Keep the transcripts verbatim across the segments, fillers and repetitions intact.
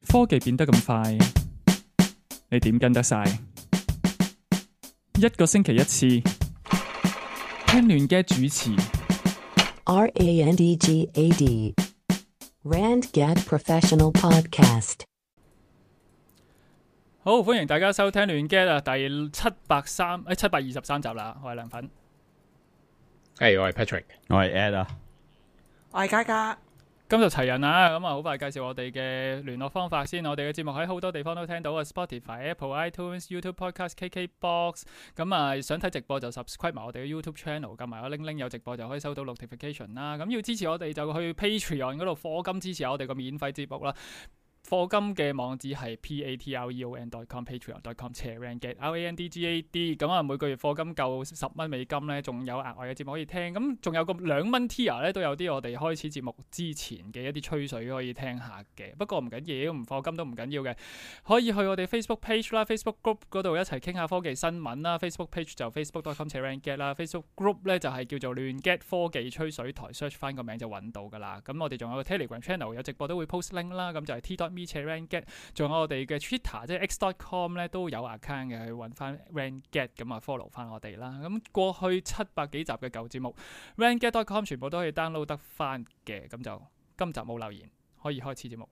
科技變得咁快，你點跟得晒？一個星期一次，聽亂嘅主持。R A N D G A D Randgad Professional Podcast。好，歡迎大家收聽亂嘅啊，第七百三誒七百二十三集啦。我係梁粉，係、hey, 我係 Patrick，我係 Ed 啊，我係嘉嘉。今日齊人啦，咁啊好快介紹我哋嘅聯絡方法先。我哋嘅節目喺好多地方都聽到啊 ，Spotify、Apple、iTunes、YouTube Podcast、K K Box。咁啊，想睇直播就 subscribe 埋我哋嘅 YouTube Channel，撳埋個鈴鈴有直播就可以收到 notification 啦。咁要支持我哋就去 Patreon 嗰度課金支持我哋個免費節目啦。課金嘅網址係 patreon dot com patreon dot com 斜 randgad R A N D G A D。咁啊每個月課金夠十蚊美金咧，仲有額外嘅節目可以聽。咁仲有個兩蚊 tier 咧，都有啲我哋開始節目之前嘅一啲吹水可以聽下嘅。不過唔緊要，唔課金都唔緊要嘅，可以去我哋 Facebook page 啦、Facebook group 嗰度一齊傾下科技新聞啦。Facebook page 就 facebook dot com 斜 randgad 啦 ，Facebook group 咧就係叫做亂 get 科技吹水台 ，search 翻個名就揾到噶啦。咁我哋仲有個 Telegram channel 有直播都會 post link 啦，咁就係 t dot me 斜 randgad。仲有我哋嘅 Twitter 即係 x dot com 咧都有 account 嘅，去揾翻 randgad 咁啊 follow 翻我哋啦。咁過去七百幾集嘅舊節目 randgad dot com 全部都可以 download 得翻嘅。咁就今集冇留言，可以開始節目。誒、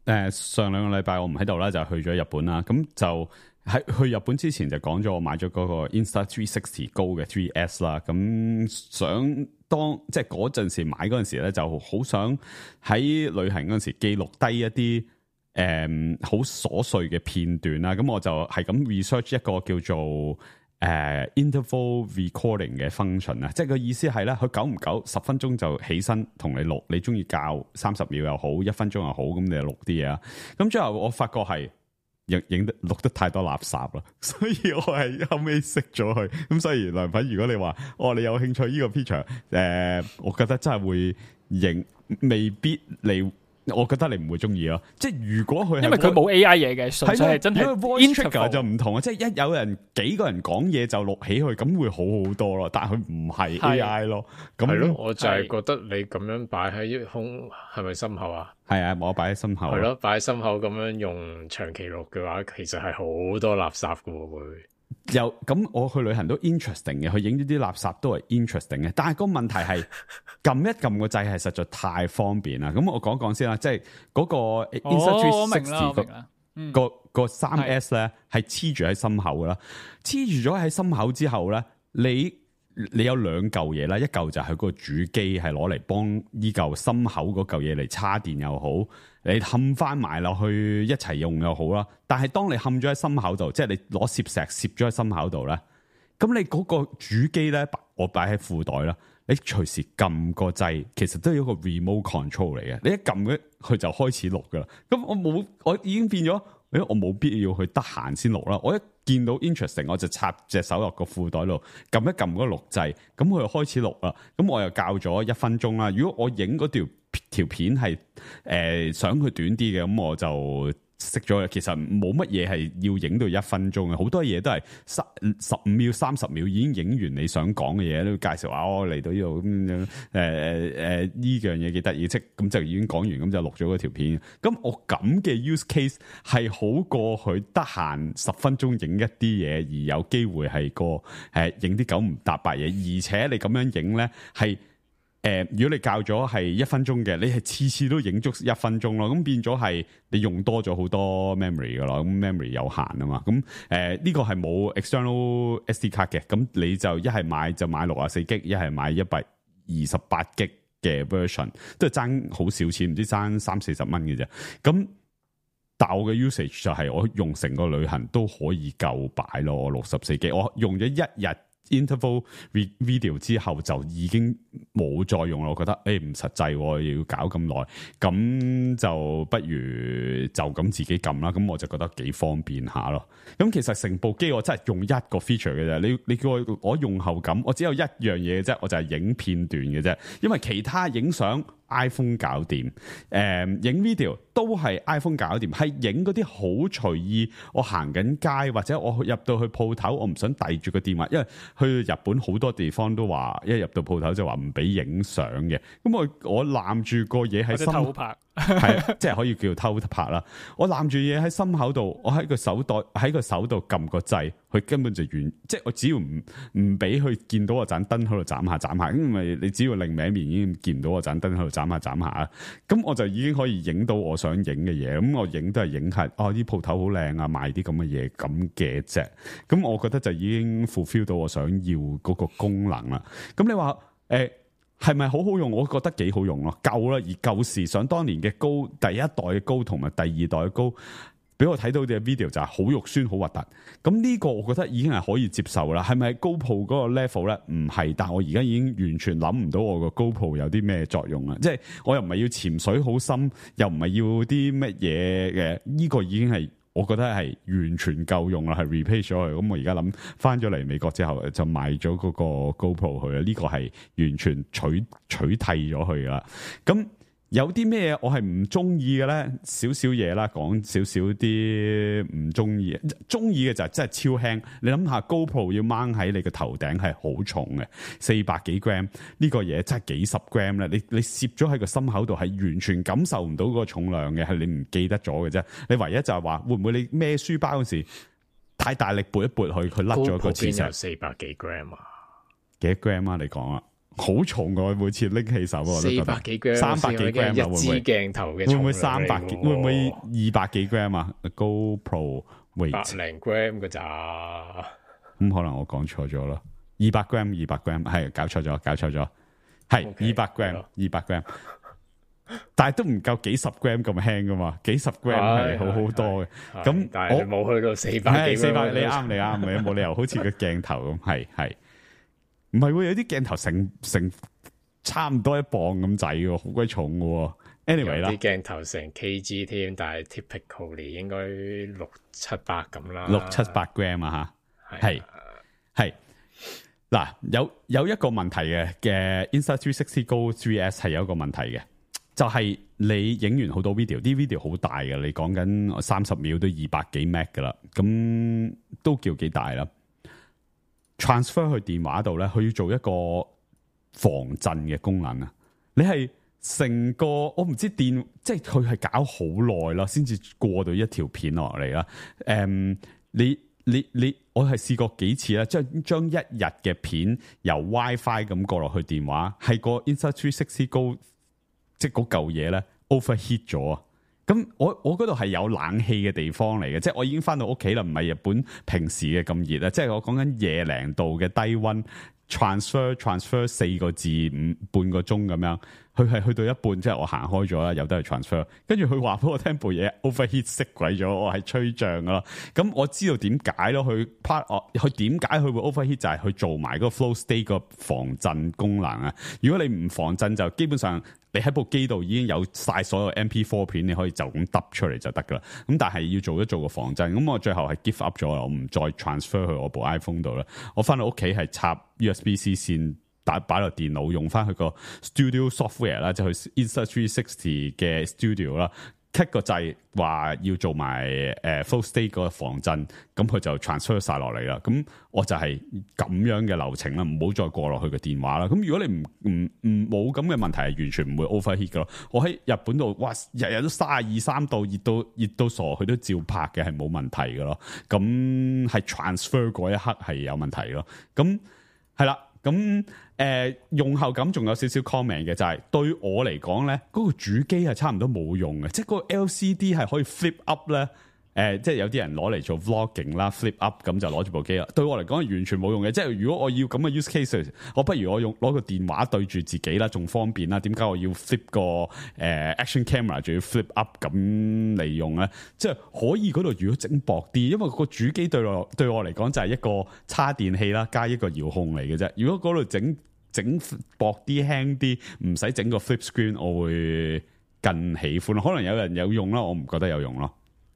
呃，上兩個禮拜我唔喺度啦，就去咗日本啦。咁就喺去日本之前就講咗我買咗嗰個 Insta three sixty Go 嘅 three S 啦。咁想當即係嗰陣時買嗰陣時咧，就好想喺旅行嗰陣時記錄低一啲誒好瑣碎嘅片段啦。咁我就係咁 research 一個叫做誒、呃、interval recording 嘅 function 啊，即係個意思係咧，佢久唔久十分鐘就起身同你錄，你中意校三十秒又好，一分鐘又好，咁你就錄啲嘢啊。咁最後我發覺係影影得錄得太多垃圾啦，所以我係後尾熄咗佢。咁所以梁粉，如果你話哦你有興趣呢個 feature，誒、呃，我覺得真係會影，未必你。我覺得你唔會中意咯，即係如果佢係因為佢冇 A I 嘢嘅，純粹係真係 voice trigger 就唔同啊，即係一有人幾個人講嘢就錄起佢，咁會好好多咯。但係佢唔係 A I 咯，咁係咯，我就係覺得你咁樣擺喺胸係咪心口啊？係啊，我擺喺心口。係咯，擺喺心口咁樣用長期錄嘅話，其實係好多垃圾噶喎會。又咁我去旅行都 interesting 嘅，去影呢啲垃圾都係 interesting 嘅，但係個問題係撳一撳個掣係實在太方便啦。咁我講講先啦，即係嗰個 Insta three sixty 個個三 S 咧係黐住喺心口噶啦，黐住咗喺心口之後咧，你你有兩嚿嘢啦，一嚿就係個主機係攞嚟幫依嚿心口嗰嚿嘢嚟叉電又好，你冚翻埋落去一齊用又好啦。但係當你冚咗喺心口度，即係你攞攝石攝咗喺心口度咧，咁你嗰個主機咧，我擺喺褲袋啦，你隨時撳個掣，其實都係一個 remote control 嚟嘅。你一撳咧，佢就開始錄噶啦。咁我冇，我已經變咗，誒，我冇必要去得閒先錄啦。我一見到 interesting， 我就插隻手落個褲袋度，撳一撳嗰個錄掣，咁佢就開始錄啦。咁我又校咗一分鐘啦。如果我影嗰條條片係誒、呃、想佢短啲嘅，咁我就熄咗。其實冇乜嘢係要影到一分鐘嘅，好多嘢都係十十五秒、三十秒已經影完你想講嘅嘢，都介紹話我嚟到呢度咁樣，誒誒誒呢樣嘢幾得意，即咁就已經講完，咁就錄咗嗰條片。咁我咁嘅 use case 係好過佢得閒十分鐘影一啲嘢，而有機會係個誒影啲九唔搭八嘢，而且你咁樣影咧係。誒、呃，如果你校咗係一分鐘嘅，你係次次都影足一分鐘咯，咁變咗係你用多咗好多 memory 噶啦，咁 memory 有限啊嘛，咁誒呢個係冇 external S D 卡嘅，咁你就一係買就買六十四 G， 一係買一百二十八 G 嘅 version， 都係爭好少錢，唔知爭三四十蚊嘅啫。咁但我嘅 usage 就係我用成個旅行都可以夠擺咯，我六十四 G， 我用咗一日。interval video 之後就已經冇再用啦，我覺得誒唔實際，要搞咁耐，咁就不如就咁自己撳啦。咁我就覺得幾方便下咯。咁其實成部機我真係用一個 feature 嘅啫。你你叫我我用後感，我只有一樣嘢嘅啫，我就係影片段嘅啫。因為其他影相 iPhone 搞掂，誒、嗯、影 video 都係 iPhone 搞掂，係影嗰啲好隨意。我行緊街或者我入到去鋪頭，我唔想遞住個電話，因為去日本好多地方都話，一入到鋪頭就話唔俾影相嘅。咁我我攬住個嘢喺心偷拍，係即係可以叫偷拍啦。我攬住嘢喺心口度，我喺個手袋喺個手度撳個掣，佢根本就完，即係我只要唔唔俾佢見到我盞燈喺度斬下斬下，因為你只要另歪面已經見到我盞燈喺度斬下斬下，咁我就已經可以影到我想影嘅嘢。咁我影都係影下，哦啲鋪頭好靚啊，賣啲咁嘅嘢咁嘅啫。咁我覺得就已經 fulfill 到我想要嗰個功能啦。咁你話誒係咪好好用？我覺得幾好用咯，夠啦。而舊時想當年嘅高，第一代嘅高同埋第二代嘅高，俾我睇到嘅 video 就係好肉酸好核突。咁呢個我覺得已經係可以接受啦。係咪 GoPro 嗰個 level 咧？唔係，但我而家已經完全諗唔到我個 GoPro 有啲咩作用啦。即係我又唔係要潛水好深，又唔係要啲乜嘢嘅，呢個已經係。我覺得係完全夠用啦，係 replace 咗佢。咁我而家諗翻咗嚟美國之後，就買咗嗰個 GoPro 去啦。呢、這個係完全取取替咗佢啦。咁有啲咩我係唔中意嘅咧？少少嘢啦，講少少啲唔中意。中意嘅就係真係超輕。你諗下 GoPro 要掹喺你個頭頂係好重嘅，四百幾 gram 呢個嘢真係幾十 gram 咧。你你攝咗喺個心口度係完全感受唔到嗰個重量嘅，係你唔記得咗嘅啫。你唯一就係話會唔會你孭書包嗰時太大力撥一撥佢，佢甩咗個磁石。邊有四百幾 gram 啊？幾 gram 啊？你講啊？好重㗎，每次拎起手我都覺得四百幾 gram，三百幾 gram 一支鏡頭嘅，會唔會三百幾？會唔會二百幾 gram 啊 ？GoPro weight 百零 gram 㗎咋？咁可能我講錯咗咯，二百 gram， 二百 gram 係搞錯咗，搞錯咗，係二百 gram， 二百 gram， 但係都唔夠幾十 gram 咁輕噶嘛，幾十 gram 係好好多嘅。咁但係冇去到四百幾，四百你啱你啱，你冇理由好似個鏡頭咁，係係。唔係喎，有啲鏡頭成成差唔多一磅咁滯嘅，好鬼重嘅。anyway 啦，啲鏡頭成 kg 添，但係 typically 應該六七百咁啦，六七百 gram 啊吓，係係嗱，有有一個問題嘅嘅 Insta 三百六十 Go 三 S 係有一個問題嘅，就係、是、你影完好多 video， 啲 video 好大嘅，你講緊三十秒都二百幾 meg 噶啦，咁都叫幾大啦。transfer 去電話度咧，佢要做一個防震嘅功能啊！你係成個我唔知電，即係佢係搞好耐啦，先至過到一條片落嚟啦。誒、嗯，你你你，我係試過幾次啦，將將一日嘅片由 WiFi 咁過落去電話，係個 Insta 三百六十 Go，即係嗰嚿嘢咧 overheat 咗啊！咁我我嗰度係有冷氣嘅地方嚟嘅，即係我已經翻到屋企啦，唔係日本平時嘅咁熱啦，即係我講緊廿零度嘅低溫 transfer transfer 四個字五半個鐘咁樣，佢係去到一半，即係我行開咗啦，有得去 transfer， 跟住佢話俾我聽部嘢 overheat 熄鬼咗，我係吹脹噶啦，咁我知道點解咯，佢 part 哦，佢點解佢會 overheat 就係去做埋嗰個 flow state 個防震功能啊，如果你唔防震就基本上。你喺部機度已經有晒所有 M P 四 片，你可以就咁揼出嚟就得噶啦。咁但係要做一做個防震，咁我最後係 give up 咗啦，我唔再 transfer 去我部 iPhone 度啦。我翻到屋企係插 U S B C 線打擺落電腦，用翻佢個 Studio Software 啦，就去 Insta 三百六十嘅 Studio 啦。click 個掣話要做埋誒 full state 個防震，咁佢就 transfer 晒落嚟啦。咁我就係咁樣嘅流程啦，唔好再過落去個電話啦。咁如果你唔唔唔冇咁嘅問題，係完全唔會 overheat 噶咯。我喺日本度，哇，日日都三十二三度，熱到熱到傻，佢都照拍嘅，係冇問題噶咯。咁係 transfer 嗰一刻係有問題咯。咁係啦。咁誒、呃、用後感仲有少少 comment 嘅，就係、是、對我嚟講咧，嗰、那個主機係差唔多冇用嘅，即係嗰個 L C D 係可以 flip up 咧，誒、呃、即係有啲人攞嚟做 vlogging 啦 ，flip up 咁就攞住部機啦。對我嚟講係完全冇用嘅，即係如果我要咁嘅 use case，我不如我用攞個電話對住自己啦，仲方便啦。點解我要 flip 個誒、呃、action camera 仲要 flip up 咁嚟用咧？即係可以嗰度如果整薄啲，因為個主機對我對我嚟講就係一個叉電器啦，加一個遙控嚟嘅啫。如果嗰度整整薄啲輕啲，唔使整個 flip screen，我會更喜歡。可能有人有用啦，我唔覺得有用咯。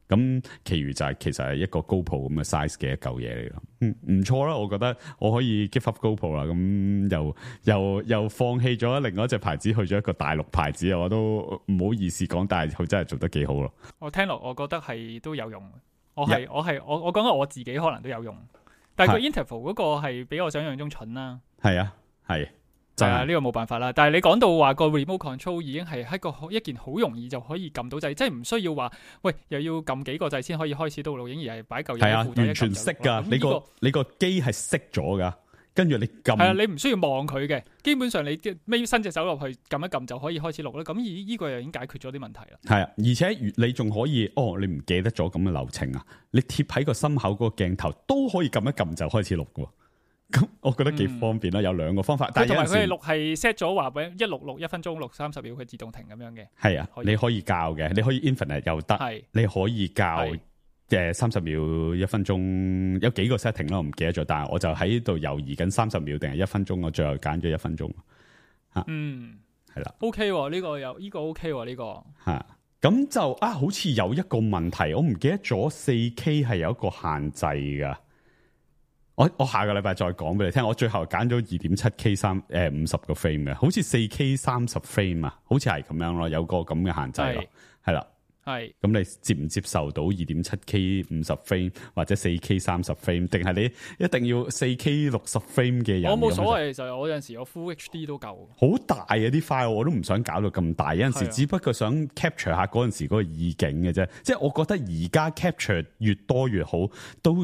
咁其餘就係、是、其實係一個 GoPro 咁嘅 size 嘅一嚿嘢嚟咯。嗯，唔錯啦，我覺得我可以 give up GoPro 啦。咁又又又放棄咗另外一隻牌子，去咗一個大陸牌子，我都唔好意思講，但係佢真係做得幾好咯。我聽落我覺得係都有用。我係、yeah. 我係我我講緊我自己可能都有用，但係個 interval 嗰個係比我想象中蠢啦。係啊，係。係啊，呢、這個冇辦法啦。但係你講到話個 remote control 已經係一個一件好容易就可以撳到掣，即係唔需要話喂又要撳幾個掣先可以開始到錄影，而係擺嚿嘢喺褲袋一撳就錄。係啊，完全識噶。你個你個機係熄咗噶，跟住你撳。係啊，你唔需要望佢嘅，基本上你孭伸隻手落去撳一撳就可以開始錄啦。咁而呢個又已經解決咗啲問題啦。係啊，而且你仲可以哦，你唔記得咗咁嘅流程啊？你貼喺個心口嗰個鏡頭都可以撳一撳就開始錄噶。咁我覺得幾方便啦、嗯，有兩個方法。但係同埋佢哋錄係 set 咗話俾一錄錄一分鐘，錄三十秒，佢自動停咁樣嘅。係啊，你可以校嘅，你可以 infinite 又得，你可以校嘅三十秒一分鐘，有幾個 setting 咯，我唔記得咗。但係我就喺度猶豫緊三十秒定係一分鐘，我最後揀咗一分鐘。吓，嗯，係啦 ，OK， 呢、這個有呢、這個 OK 呢、這個吓，咁就啊，好似有一個問題，我唔記得咗四 K 係有一個限制噶。我我下個禮拜再講俾你聽，我最後揀咗二點七 K 三誒五十個 frame 嘅，好似四 K 三十 frame 啊，好似係咁樣咯，有個咁嘅限制咯，係啦，係。咁你接唔接受到二點七 K 五十 frame 或者四 K 三十 frame， 定係你一定要四 K 六十 frame 嘅人？我冇所謂，就係我有陣時我 Full H D 都夠。好大啊啲 file，我都唔想搞到咁大，有陣時只不過想 capture 下嗰陣時嗰個意境嘅啫。即係我覺得而家 capture 越多越好，都。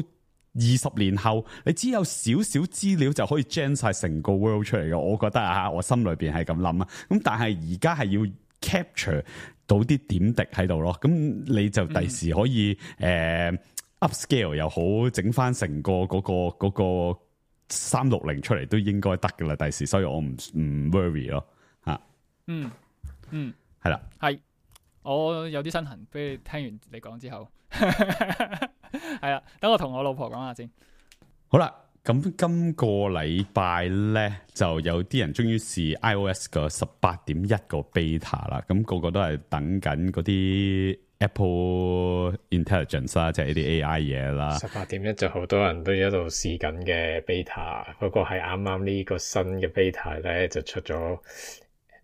二十年後，你只有少少資料就可以 gen 晒成個 world 出嚟嘅，我覺得啊，我心裏邊係咁諗啊。咁但係而家係要 capture 到啲點滴喺度咯，咁你就第時可以誒、嗯呃、upscale 又好，整翻成個嗰、嗰個、嗰個三六零出嚟都應該得噶啦，第時，所以我唔唔 worry 咯，吓，嗯嗯，係啦，係，我有啲身痕，俾你聽完你講之後。係啦，等我同我老婆講下先。好啦，咁今個禮拜咧就有啲人終於試 iOS 個十八點一個 beta 啦，咁、那個個都係等緊嗰啲 Apple Intelligence 啦，即係呢啲 A I 嘢啦。十八點一就好多人都一度試緊嘅 beta， 不過係啱啱呢個新嘅 beta 咧就出咗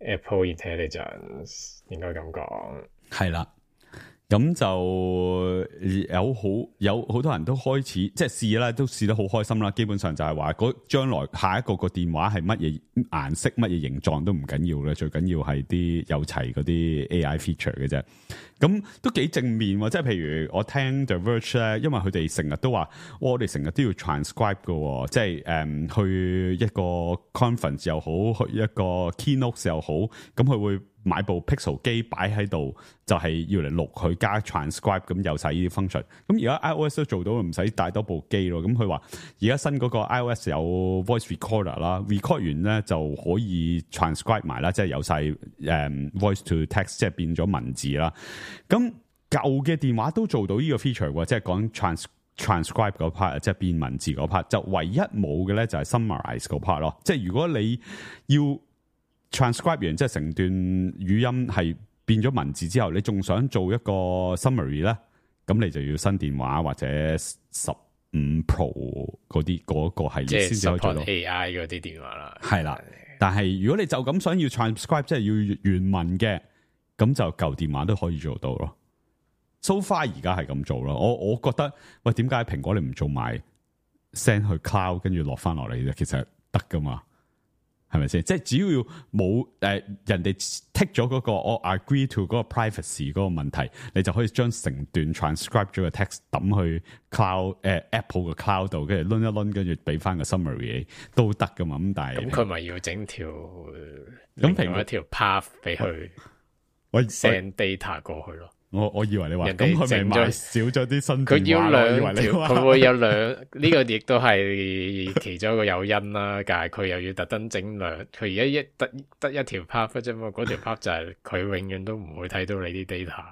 Apple Intelligence， 應該咁講。係啦。咁就有好有好多人都開始即係試啦，都試得好開心啦。基本上就係話嗰將來下一個個電話係乜嘢顏色、乜嘢形狀都唔緊要嘅，最緊要係啲有齊嗰啲 A I feature 嘅啫。咁都幾正面喎，即係譬如我聽 The Verge 咧，因為佢哋成日都話，我哋成日都要 transcribe 嘅，即係誒、嗯、去一個 conference 又好，去一個 keynote 又好，咁佢會買部 Pixel 機擺喺度，就係、是、要嚟錄佢加 transcribe，咁有晒呢啲 function。咁而家 iOS 都做到，唔使帶多部機咯。咁佢話而家新嗰個 iOS 有 voice recorder 啦 ，record 完咧就可以 transcribe 埋啦，即係有晒誒、um, voice to text， 即係變咗文字啦。咁舊嘅電話都做到呢個 feature 喎，即係講 trans transcribe 嗰 part， 即係變文字嗰 part， 就唯一冇嘅咧就係 summarize 嗰 part 咯。即係如果你要 transcribe 完，即係成段語音係變咗文字之後，你仲想做一個 summary 咧，咁你就要新電話或者十五 Pro 嗰啲嗰個系列先至可以做到 A I 嗰啲電話啦。係啦，但係如果你就咁想要 transcribe， 即係要原文嘅。咁就舊電話都可以做到咯。So far 而家係咁做咯。我我覺得喂，點解蘋果你唔做埋 send 去 cloud 跟住落翻落嚟啫？其實得噶嘛，係咪先？即係只要冇誒、呃、人哋 take 咗嗰個我 agree to 嗰個 privacy 嗰個問題，你就可以將成段 transcribe 咗個 text 抌去 cloud 誒、呃、Apple 嘅 cloud 度，跟住掄一掄，跟住俾翻個 summary 都得噶嘛。咁但係咁佢咪要整條咁另外一條 path 俾佢。我 send data 過去咯，我我以為你話咁佢咪買少咗啲新電話，佢要兩條，佢會有兩呢個亦都係其中一個誘因啦。但係佢又要特登整兩，佢而家一得得一條 path 啫嘛，嗰條 path 就係佢永遠都唔會睇到你啲 data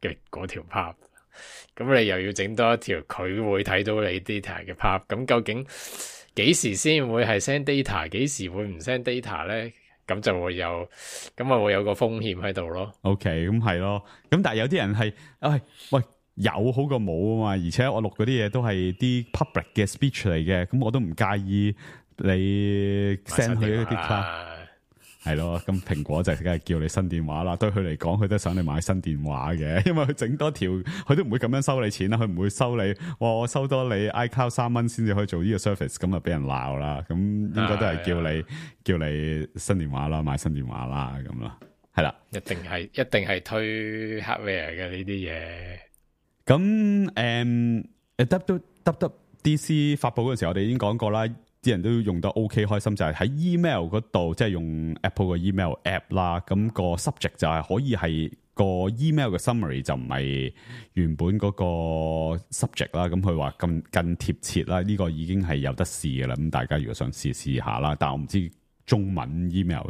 嘅嗰條 path。咁你又要整多一條，佢會睇到你 data 嘅 path。咁究竟幾時先會係 send data， 幾時會唔 send data 咧？咁就會有，咁啊會有個風險喺度咯。OK， 咁係咯。咁但係有啲人係，哎喂，有好過冇啊嘛，而且我錄嗰啲嘢都係啲 public 嘅 speech 嚟嘅，咁我都唔介意你 send 去一啲 cloud。係咯，咁蘋果就梗係叫你新電話啦。對佢嚟講，佢都想你買新電話嘅，因為佢整多條，佢都唔會咁樣收你錢啦。佢唔會收你，哇！我收多你 iCloud 三蚊先至可以做呢個 service，咁啊俾人鬧啦。咁應該都係叫你叫你新電話啦，買新電話啦，咁咯，係啦，一定係一定係推 hardware 嘅呢啲嘢。咁誒誒 W W D C 發佈嗰陣時，我哋已經講過啦。啲人都用得 OK 開心，就係、是、喺 email 嗰度，即係用 Apple 嘅 email app 啦。咁個 subject 就係可以係個 email 嘅 summary，就唔係原本嗰個 subject 啦。咁佢話更更貼切啦，呢、這個已經係有得試嘅啦。咁大家如果想試試下啦，但係我唔知中文 email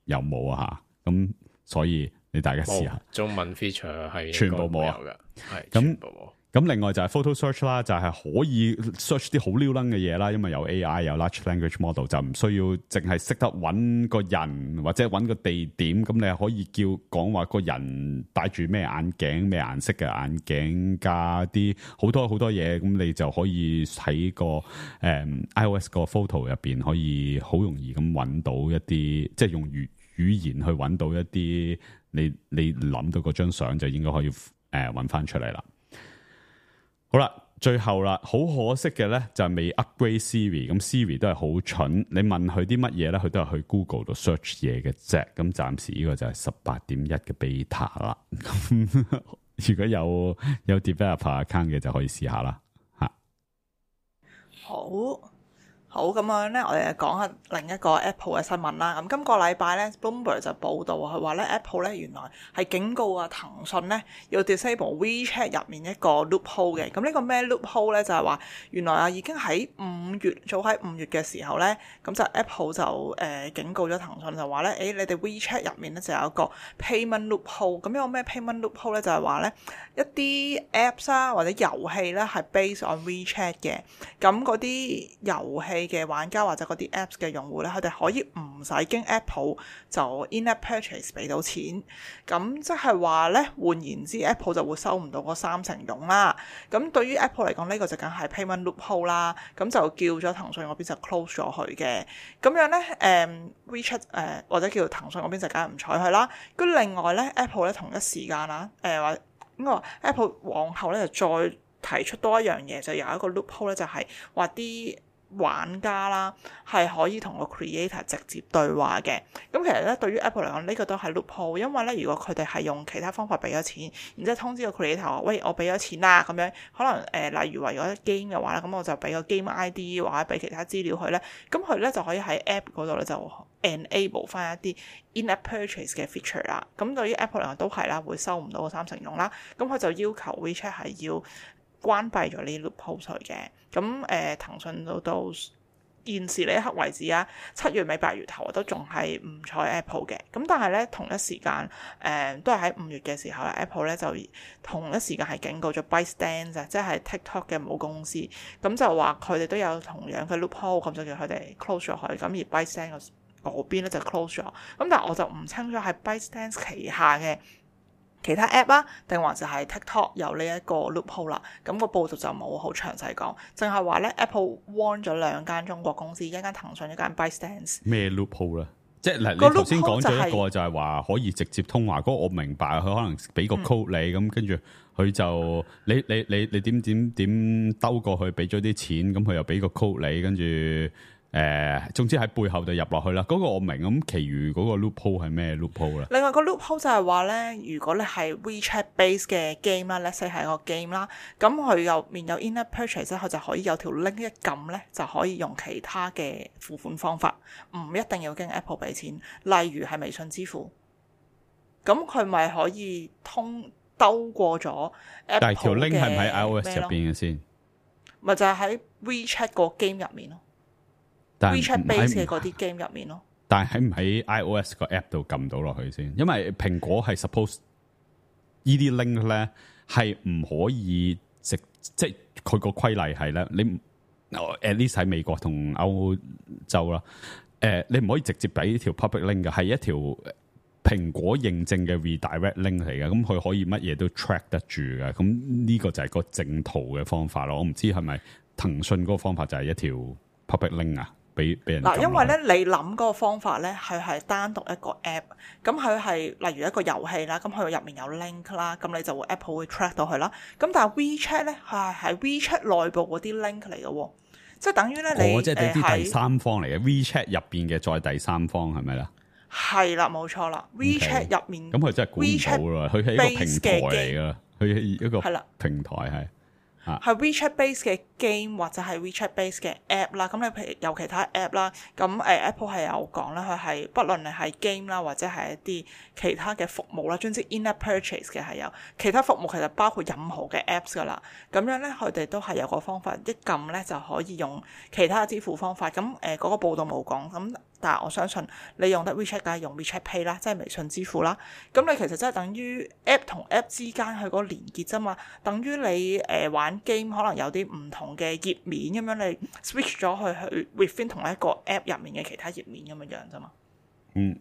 有冇啊嚇。咁所以你大家試下，中文 feature 係全部冇啊，係咁全部冇。咁另外就係 photo search 啦，就係可以 search 啲好撩楞嘅嘢啦，因為有 A I 有 large language model， 就唔需要淨係識得揾個人或者揾個地點，咁你係可以叫講話個人戴住咩眼鏡、咩顏色嘅眼鏡，加啲好多好多嘢，咁你就可以喺個誒、嗯、iOS 個 photo 入邊可以好容易咁揾到一啲，即係用語語言去揾到一啲你你諗到嗰張相就應該可以誒揾翻出嚟啦。好啦，最後啦，好可惜嘅咧就係未 upgrade Siri， 咁 Siri 都係好蠢，你問佢啲乜嘢咧，佢都係去 Google 度 search 嘢嘅啫。咁暫時呢個就係十八點一嘅 beta 啦。咁如果有有 developer account 嘅就可以試下啦。吓，好。好，咁樣咧，我哋就講下另一個 Apple 嘅新聞啦。咁今個禮拜咧 ，Bloomberg 就報道佢話咧 Apple 咧原來係警告啊騰訊咧要 disable WeChat 入面一個 loophole 嘅。咁呢個咩 loophole 咧？就係話原來啊已經喺五月，早喺五月嘅時候咧，咁就 Apple 就誒、呃、警告咗騰訊就話咧，誒、欸、你哋 WeChat 入面咧就有一個 payment loophole。咁有咩 payment loophole 咧？就係話咧一啲 apps 啊或者遊戲咧係 based on WeChat 嘅。咁嗰啲遊戲嘅玩家或者嗰啲 apps 嘅用戶咧，佢哋可以唔使經 Apple 就 in-app purchase 俾到錢，咁即係話咧，換言之 Apple 就會收唔到嗰三成佣啦。咁對於 Apple 嚟講，呢、這個就梗係 payment loophole 啦。咁就叫咗騰訊嗰邊就 close 咗佢嘅。咁樣咧，誒、嗯、WeChat 誒、呃、或者叫騰訊嗰邊就梗係唔睬佢啦。咁另外咧 Apple 咧同一時間啊，誒話應該話 Apple 往後咧就再提出多一樣嘢，就有一個 loophole 咧，就係話啲玩家啦係可以同個 creator 直接對話嘅。咁其實咧對於 Apple 嚟講，呢、這個都係 loophole，因為咧如果佢哋係用其他方法俾咗錢，然之後通知個 creator 話喂，我俾咗錢啦咁樣，可能誒、呃、例如話如果 game 嘅話咧，咁我就俾個 game I D 或者俾其他資料佢咧，咁佢咧就可以喺 app 嗰度咧就 enable 翻一啲 in-app purchase 嘅 feature 啦。咁對於 Apple 嚟講都係啦，會收唔到個三成佣啦。咁佢就要求 WeChat 係要關閉咗呢 loophole 嘅。咁誒、呃、騰訊到到現時呢一刻為止啊，七月尾八月頭都仲係唔睬 Apple 嘅。咁但係咧同一時間誒、呃、都係喺五月嘅時候咧 Apple 咧就同一時間係警告咗 ByteDance 即係 TikTok 嘅母公司，咁就話佢哋都有同樣嘅 loophole，咁就叫佢哋 close 咗佢。咁而 ByteDance 嗰邊咧就 close 咗。咁但係我就唔清楚係 ByteDance 旗下嘅其他 app 啊，定還是係 TikTok 有呢一個 loophole 啦？咁個報道就冇好詳細講，淨係話咧 Apple warn 咗兩間中國公司，一間騰訊，一間 ByteDance。咩 loophole 咧？即係嗱，你頭先講咗一個就係話可以直接通話，嗰、那個我明白，佢可能俾個 code 你，咁跟住佢就你你你你點點點兜過去，俾咗啲錢，咁佢又俾個 code 你，跟住。誒、呃，總之喺背後就入落去啦。嗰、那個我明，咁其餘嗰個 loophole 係咩 loophole 咧？另外個 loophole 就係話咧，如果你係 WeChat base 嘅 game 啦 ，let's say 係個 game 啦，咁佢入面有 in-app purchase，佢就可以有條 link 一撳咧，就可以用其他嘅付款方法，唔一定要經 Apple 俾錢。例如係微信支付，咁佢咪可以通兜過咗 Apple 嘅。但係條 link 係唔喺 iOS 入邊嘅先？咪就係喺 WeChat 個 game 入面咯。WeChat base 嘅嗰啲 game 入面咯，但係喺唔喺 iOS 個 app 度撳到落去先？因為蘋果係 suppose 呢啲 link 咧係唔可以直，即係佢個規例係咧，你 at least 喺美國同歐洲啦，誒、呃，你唔可以直接俾條 public link 嘅，係一條蘋果認證嘅 redirect link 嚟嘅，咁佢可以乜嘢都 track 得住嘅，咁呢個就係個正途嘅方法咯。我唔知係咪騰訊嗰個方法就係一條 public link 啊，俾俾人嗱，因為咧你諗嗰個方法咧，佢係單獨一個 app，咁佢係例如一個遊戲啦，咁佢入面有 link 啦，咁你就會 Apple 會 track 到佢啦。咁但係 WeChat 咧，佢係喺 WeChat 內部嗰啲 link 嚟嘅喎，即係等於咧你哦，即係啲誒第三方嚟嘅 WeChat 入邊嘅再第三方係咪啦？係啦，冇錯啦 ，WeChat 入面咁佢真係管唔到啦，佢係一個平台嚟噶，佢係一個平台係。係 WeChat base 嘅 game 或者係 WeChat base 嘅 app 啦，咁你譬如有其他 app 啦，咁誒 Apple 係有講啦，佢係不論你係 game 啦或者係一啲其他嘅服務啦，總之 in-app purchase 嘅係有其他服務，其實包括任何嘅 apps 噶啦，咁樣咧佢哋都係有個方法，一撳咧就可以用其他嘅支付方法，咁誒嗰個報道冇講，咁但係我相信你用得 WeChat 梗係用 WeChat Pay 啦，即係微信支付啦，咁你其實真係等於 app 同 app 之間佢嗰個連結啫嘛，等於你誒、呃、玩 game 可能有啲唔同嘅頁面咁樣，你 switch 咗去去 within 同一個 app 入面嘅其他頁面咁樣樣啫嘛。嗯，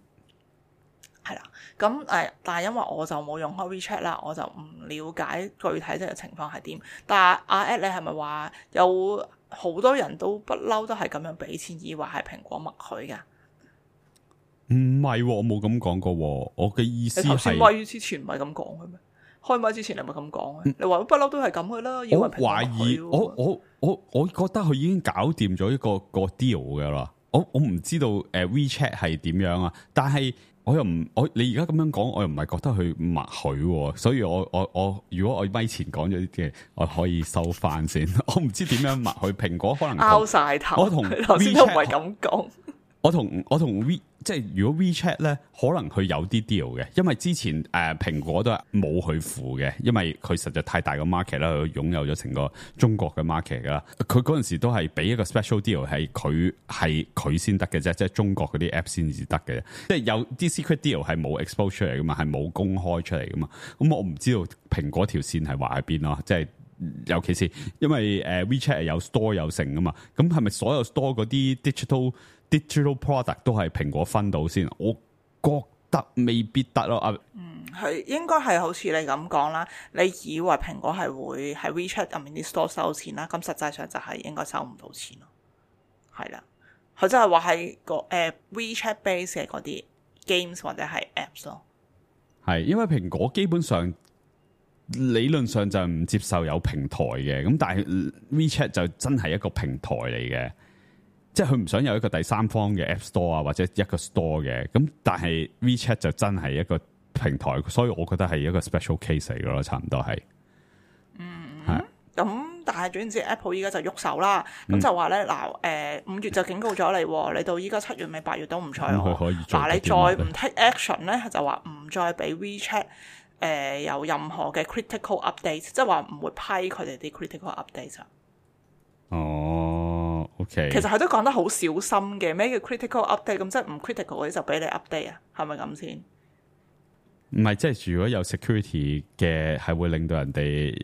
係啦，咁誒、呃，但係因為我就冇用開 WeChat 啦，我就唔了解具體即係情況係點。但係阿 Ed 你係咪話有好多人都不嬲都係咁樣俾錢，以為係蘋果默許㗎？唔係、哦，我冇咁講過、哦。我嘅意思係，你頭先咪之前唔係咁講嘅咩？開咪之前你咪咁講嘅？你話不嬲都係咁嘅啦。我懷疑，我我我我覺得佢已經搞掂咗一個個 deal 嘅啦。我我唔知道誒、呃、WeChat 係點樣啊，但係我又唔我你而家咁樣講，我又唔係覺得佢默許，所以我我我如果我咪前講咗啲嘅，我可以收翻先。我唔知點樣默許，蘋果可能拗晒頭。我同頭先都唔係咁講。我同我同 We 即係如果 WeChat 咧，可能佢有啲 deal 嘅，因為之前誒、呃、蘋果都係冇去付嘅，因為佢實在太大個 market 啦，佢擁有咗成個中國嘅 market 噶啦。佢嗰陣時都係俾一個 special deal，係佢係佢先得嘅啫，即係中國嗰啲 app 先至得嘅，即係有啲 secret deal 係冇 expose 出嚟噶嘛，係冇公開出嚟噶嘛。咁我唔知道蘋果條線係畫喺邊咯，即係尤其是因為誒 WeChat 係有 store 有成噶嘛，咁係咪所有 store 嗰啲 digital digital product 都係蘋果分到先？我覺得未必得咯。啊，嗯，係應該係好似你咁講啦。你以為蘋果係會喺 WeChat 入面啲 store 收錢啦，咁實際上就係應該收唔到錢咯。係啦，佢真係話係個誒、呃、WeChat base 嘅嗰啲 games 或者係 apps 咯。係因為蘋果基本上理論上就唔接受有平台嘅，咁但係 WeChat 就真係一個平台嚟嘅。即係佢唔想有一個第三方嘅 App Store 啊，或者一個 Store 嘅，咁但係 WeChat 就真係一個平台，所以我覺得係一個 special case 嚟嘅咯，差唔多係。嗯，係。咁但係總之 Apple 依家就喐手啦，咁、嗯、就話咧嗱，誒五月就警告咗你，你到依家七月尾八月都唔睬我，嗱你再唔 take action 咧，就話唔再俾 WeChat 誒、呃、有任何嘅 critical update， 即係話唔會批佢哋啲 critical update 啊。哦，OK，其實佢都講得好小心嘅，咩叫 critical update？ 咁即係唔 critical 嗰啲就俾你 update 啊，係咪咁先？唔係，即係如果有 security 嘅，係會令到人哋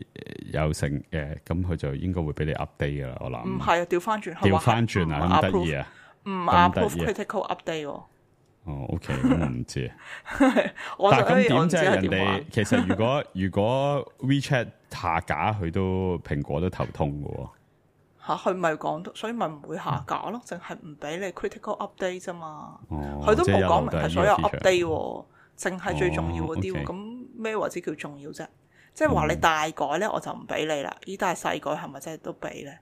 有成嘅，咁佢就應該會俾你 update 噶啦。我諗唔係啊，調翻轉，調翻轉啊，咁得意啊，唔 approve critical update 喎。哦，OK，咁我唔知。我但係咁點即係人哋其實如果如果 WeChat 下架，佢都蘋果都頭痛噶喎。嚇，佢咪講到，所以咪唔會下架咯，淨係唔俾你 critical update 啫嘛。佢、哦、都冇講明係所有 update 喎，淨係最重要嗰啲喎。咁咩為之叫重要啫？即係話你大改咧，我就唔俾你啦。依但係細改係咪真係都俾咧？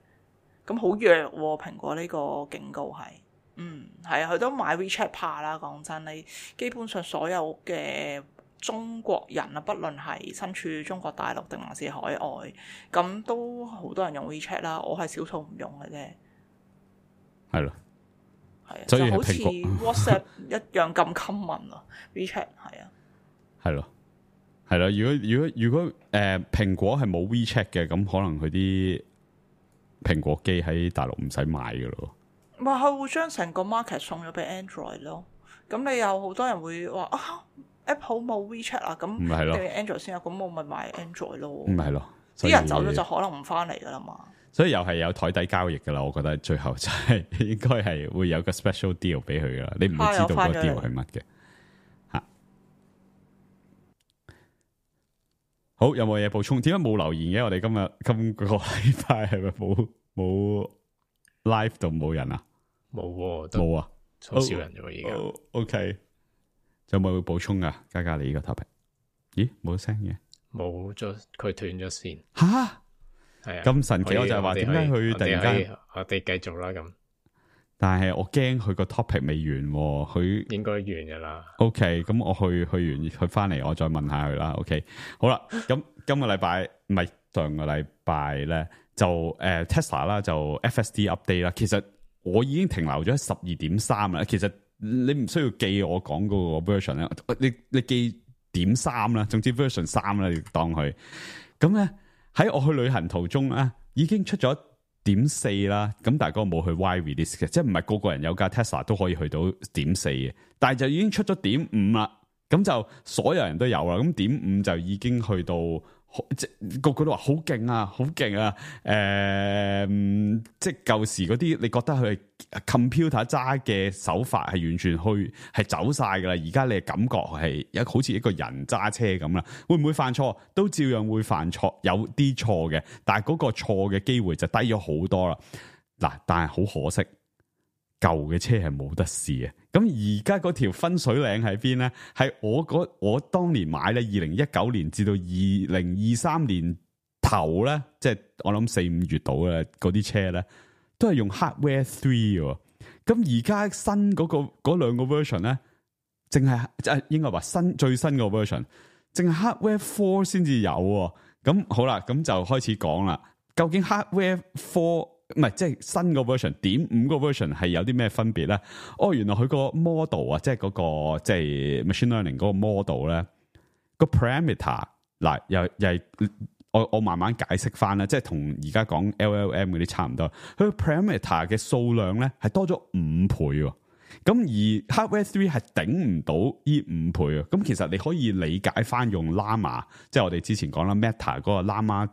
咁好弱喎、啊，蘋果呢個警告係。嗯，係啊，佢都買 WeChat 怕啦。講真，你基本上所有嘅中國人啊，不論係身處中國大陸定還是海外，咁都好多人用 WeChat 啦。我係少數唔用嘅啫。係咯，係啊，就好似 WhatsApp 一樣咁 common 啊。WeChat 係啊，係咯，係咯。如果如果如果誒蘋果係冇 WeChat 嘅，咁可能佢啲蘋果機喺大陸唔使買噶咯。咪佢會將成個 market 送咗俾 Android 咯。咁你有好多人會話啊 ，Apple 冇 WeChat 啊，咁你 Android 先有，咁我咪買 Android 咯。唔係咯，啲人走咗就可能唔翻嚟噶啦嘛。所以又係有台底交易噶啦，我覺得最後就係應該係會有個 special deal 俾佢噶啦，你唔會知道個 deal 係乜嘅吓。好，有冇嘢補充？點解冇留言嘅？我哋今日今個禮拜係咪冇冇 live 度冇人啊？冇喎，都冇啊，好少人啫喎，而家。哦 OK，有冇補充啊？嘉嘉你呢個 topic？咦，冇聲嘅，冇咗，佢斷咗線。吓，係啊，咁神奇，我就係話點解佢突然間，我哋繼續啦咁。但係我驚佢個 topic 未完喎，佢應該完噶啦。OK，咁我去去完去翻嚟，我再問下佢啦。OK，好啦，咁今個禮拜唔係上個禮拜咧，就誒、呃、Tesla 啦，就 F S D update 啦。其實我已經停留咗喺十二點三啦。其實你唔需要記我講嗰個 version 咧，你你記點三啦，總之 version 三啦，你當佢。咁咧喺我去旅行途中咧，已經出咗點四啦，咁但係嗰個冇去 wide release 嘅，即係唔係個個人有架 Tesla 都可以去到點四嘅，但係就已經出咗點五啦，咁就所有人都有啦，咁點五就已經去到，即係個個都話好勁啊，好勁啊，誒、呃，即係舊時嗰啲，你覺得佢 computer 揸嘅手法係完全去係走晒噶啦，而家你嘅感覺係一好似一個人揸車咁啦，會唔會犯錯？都照樣會犯錯，有啲錯嘅，但係嗰個錯嘅機會就低咗好多啦。嗱，但係好可惜，舊嘅車係冇得試嘅。咁而家嗰條分水嶺喺邊咧？係我嗰我當年買咧，二零一九年至到二零二三年頭咧，即係我諗四五月度嘅嗰啲車咧，都係用 Hardware Three 喎。咁而家新嗰、嗰個嗰兩個 version 咧，淨係即係應該話新最新個 version，淨係 Hardware Four 先至有喎。咁好啦，咁就開始講啦。究竟 Hardware Four 唔係即係新個 version 點五個 version 係有啲咩分別咧？哦，原來佢個 model 啊，即係嗰個即係 machine learning 嗰個 model 咧，個 parameter 嗱又又係我我慢慢解釋翻啦，即係同而家講 L L M 嗰啲差唔多。佢個 parameter 嘅數量咧係多咗五倍喎，咁而 Hardware Three 係頂唔到呢五倍啊。咁其實你可以理解翻用 Llama， 即係我哋之前講啦 Meta 嗰個 Llama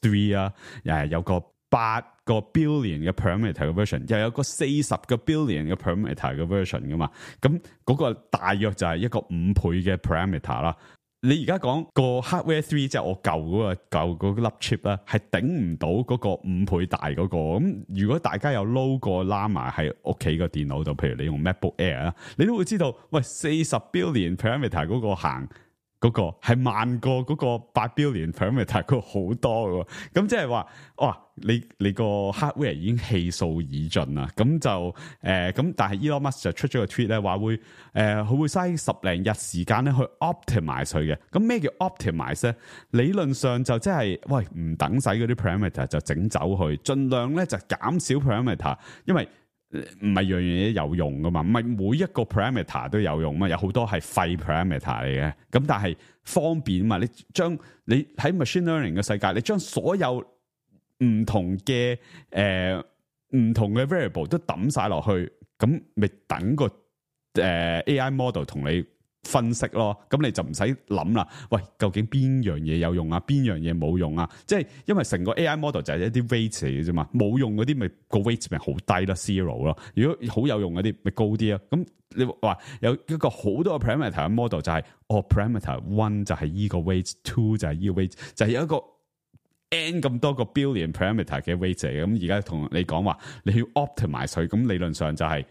Three 啊，誒有個八個 billion 嘅 parameter 嘅 version， 又有個四十個 billion 嘅 parameter 嘅 version 噶嘛，咁嗰個大約就係一個五倍嘅 parameter 啦。你而家講個 hardware three 即係我舊嗰個舊嗰粒 chip 咧，係頂唔到嗰個五倍大嗰個。咁如果大家有 load 過 Llama 喺屋企個電腦度，譬如你用 MacBook Air 啊，你都會知道，喂，四十 billion parameter 嗰個行。嗰、那個係慢過嗰個八 billion parameter 嗰個好多嘅，咁即係話，哇！你你個 hardware 已經氣數已盡啦，咁就誒咁、呃，但係 Elon Musk 就出咗個 tweet 咧，話會誒佢、呃、會嘥十零日時間咧去 optimize 佢嘅。咁咩叫 optimize 咧？理論上就即係喂唔等使嗰啲 parameter 就整走去，盡量咧就減少 parameter，因為唔係樣樣嘢有用噶嘛，唔係每一個 parameter 都有用嘛，有好多係廢 parameter 嚟嘅。咁但係方便嘛，你將你喺 machine learning 嘅世界，你將所有唔同嘅誒唔同嘅 variable 都抌晒落去，咁咪等個誒、呃、A I model 同你分析咯，咁你就唔使諗啦。喂，究竟邊樣嘢有用啊？邊樣嘢冇用啊？即係因為成個 A I model 就係一啲 weight 嚟嘅啫嘛，冇用嗰啲咪個 weight 咪好低啦 zero 咯。如果好有用嗰啲咪高啲啊。咁你話有一個好多個 parameter 嘅 model 就係、是、哦 parameter one 就係依個 weight，two 就係依個 weight，就係有一個 n 咁多個 billion parameter 嘅 weight 嚟嘅。咁而家同你講話你要 optimize 佢，咁理論上就係、是。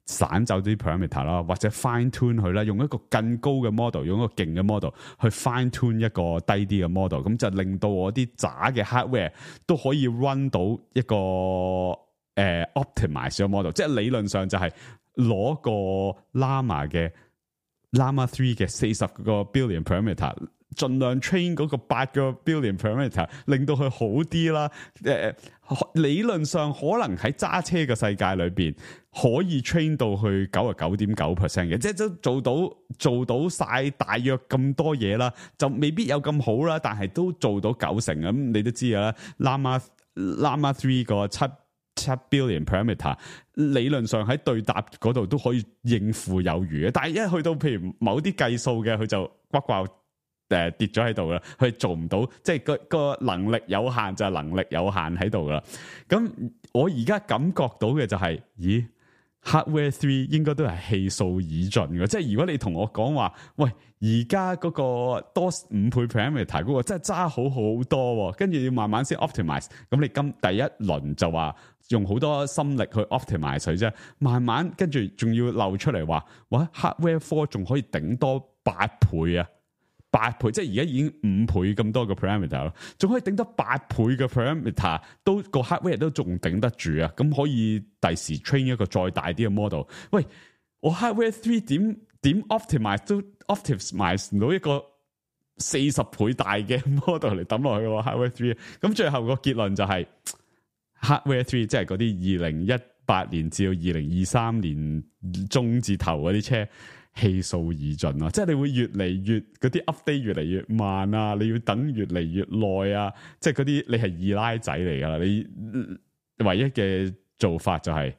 散走啲 parameter 啦，或者 fine tune 佢啦，用一個更高嘅 model， 用一個勁嘅 model 去 fine tune 一個低啲嘅 model， 咁就令到我啲渣嘅 hardware 都可以 run 到一個誒、呃、optimize 嘅 model， 即係理論上就係攞個 Llama 嘅 Llama Three 嘅四十個 billion parameter， 盡量 train 嗰個八個 billion parameter， 令到佢好啲啦。誒、呃，理論上可能喺揸車嘅世界裏邊。可以 train 到去九十九點九 percent 嘅，即係都做到做到晒大約咁多嘢啦，就未必有咁好啦，但係都做到九成咁，你都知㗎啦。Llama Llama Three 個七七 billion parameter 理論上喺對答嗰度都可以應付有餘嘅，但係一去到譬如某啲計數嘅，佢就呱呱誒跌咗喺度啦，佢做唔到，即係個個能力有限就係能力有限喺度噶啦。咁我而家感覺到嘅就係、是，咦？ Hardware three 應該都係氣數已盡嘅，即係如果你同我講話，喂，而家嗰個多五倍 parameter 嗰個真係揸好好多，跟住要慢慢先 optimize， 咁你今第一輪就話用好多心力去 optimize 佢啫，慢慢跟住仲要漏出嚟話，哇 Hardware four 仲可以頂多八倍啊！八倍，即係而家已經五倍咁多個 parameter 咯，仲可以頂得八倍嘅 parameter，都個 hardware 都仲頂得住啊！咁可以第時 train 一個再大啲嘅 model。喂，我 hardware three 點點 optimize 都 optimize 唔到一個四十倍大嘅 model 嚟抌落去喎 hardware three。咁最後個結論就係、是、hardware three 即係嗰啲二零一八年至到二零二三年中至頭嗰啲車。氣數已盡咯，即係你會越嚟越嗰啲 update 越嚟越慢啊，你要等越嚟越耐啊，即係嗰啲你係二奶仔嚟噶啦，你唯一嘅做法就係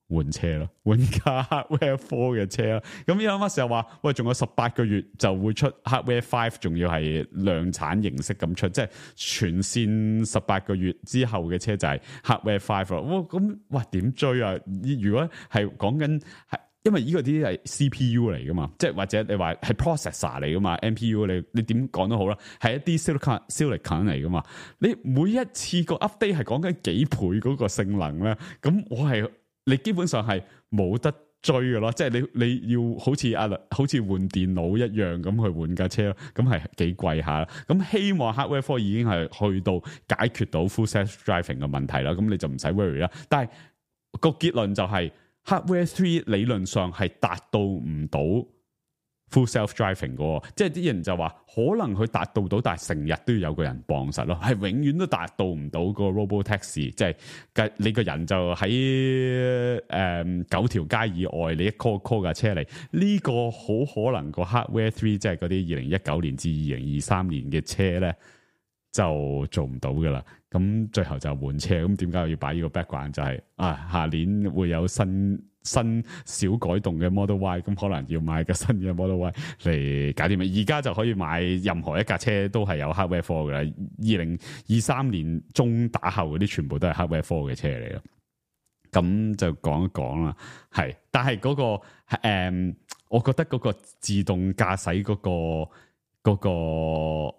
換車咯，換架 Hardware four 嘅車啦。咁 Elon Musk 又話，喂，仲有十八個月就會出 Hardware five， 仲要係量產形式咁出，即係全線十八個月之後嘅車就係 Hardware five 咯。哇，咁哇點追啊？如果係講緊係。因為呢個啲係 C P U 嚟噶嘛，即係或者你話係 processor 嚟噶嘛 ，M P U 你你點講都好啦，係一啲 silicon silicon 嚟噶嘛。你每一次個 update 係講緊幾倍嗰個性能咧，咁我係你基本上係冇得追噶咯，即係你你要好似阿好似換電腦一樣咁去換架車咯，咁係幾貴下啦。咁希望 Hardware four 已經係去到解決到 full self driving 嘅問題啦，咁你就唔使 worry 啦。但係個結論就係、是。Hardware three 理論上係達到唔到 full self driving 嘅，即係啲人就話可能佢達到到，但係成日都要有個人幫實咯，係永遠都達到唔到個 robo taxi，即係你個人就喺誒、嗯、九條街以外，你一 call call 架車嚟，呢、這個好可能個 Hardware three 即係嗰啲二零一九年至二零二三年嘅車咧就做唔到噶啦。咁最後就換車，咁點解要擺呢個 background？ 就係、是、啊，下年會有新新小改動嘅 Model Y， 咁可能要買個新嘅 Model Y 嚟搞掂咪？而家就可以買任何一架車都係有 Hardware four 嘅啦。二零二三年中打後嗰啲全部都係 Hardware four 嘅車嚟咯。咁就講一講啦，係，但係嗰、那個誒、嗯，我覺得嗰個自動駕駛嗰個嗰、那個嗰、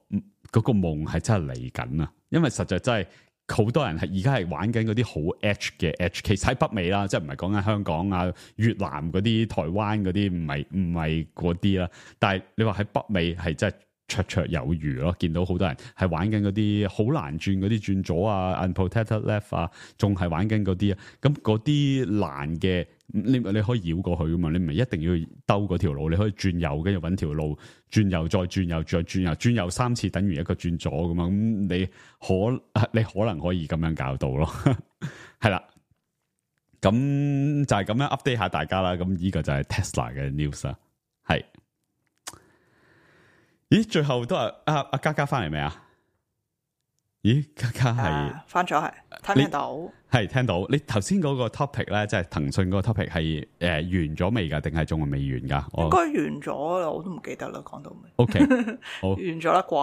那個夢係真係嚟緊啊！因為實在真係好多人係而家係玩緊嗰啲好 edge 嘅 edge， 其實喺北美啦，即係唔係講緊香港啊、越南嗰啲、台灣嗰啲，唔係唔係嗰啲啦。但係你話喺北美係真係綽綽有餘咯，見到好多人係玩緊嗰啲好難轉嗰啲轉左啊 unprotected left 啊，仲係玩緊嗰啲啊。咁嗰啲難嘅，你你可以繞過去噶嘛，你唔係一定要兜嗰條路，你可以轉右，跟住揾條路轉右，再轉右，再轉右，轉右三次等於一個轉左噶嘛。咁你可你可能可以咁樣搞到咯，係啦。咁就係咁樣 update 下大家啦。咁呢個就係 Tesla 嘅 news 啦，係。咦，最後都係阿阿嘉嘉翻嚟未啊？咦，嘉嘉係翻咗係，聽唔聽到？係聽到。你頭先嗰個 topic 咧，即係騰訊嗰個 topic 係誒、呃、完咗未噶，定係仲係未完噶？應該完咗啦，我都唔記得啦，講到未 ？OK，好，完咗啦啩？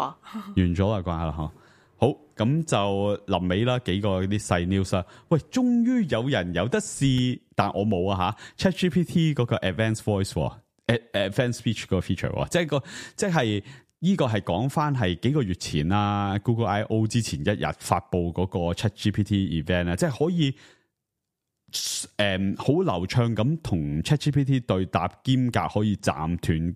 完咗啦啩啦嗬。好，咁就臨尾啦，幾個啲細 news 啦。喂，終於有人有得試，但我冇啊吓。ChatGPT 嗰個 Advanced Voice。Advanced Speech 個 feature，即係個即係呢個係講翻係幾個月前啦 ，Google I O 之前一日發布嗰個 ChatGPT event 咧，即係可以誒好、嗯、流暢咁同 ChatGPT 對答，兼夾可以暫斷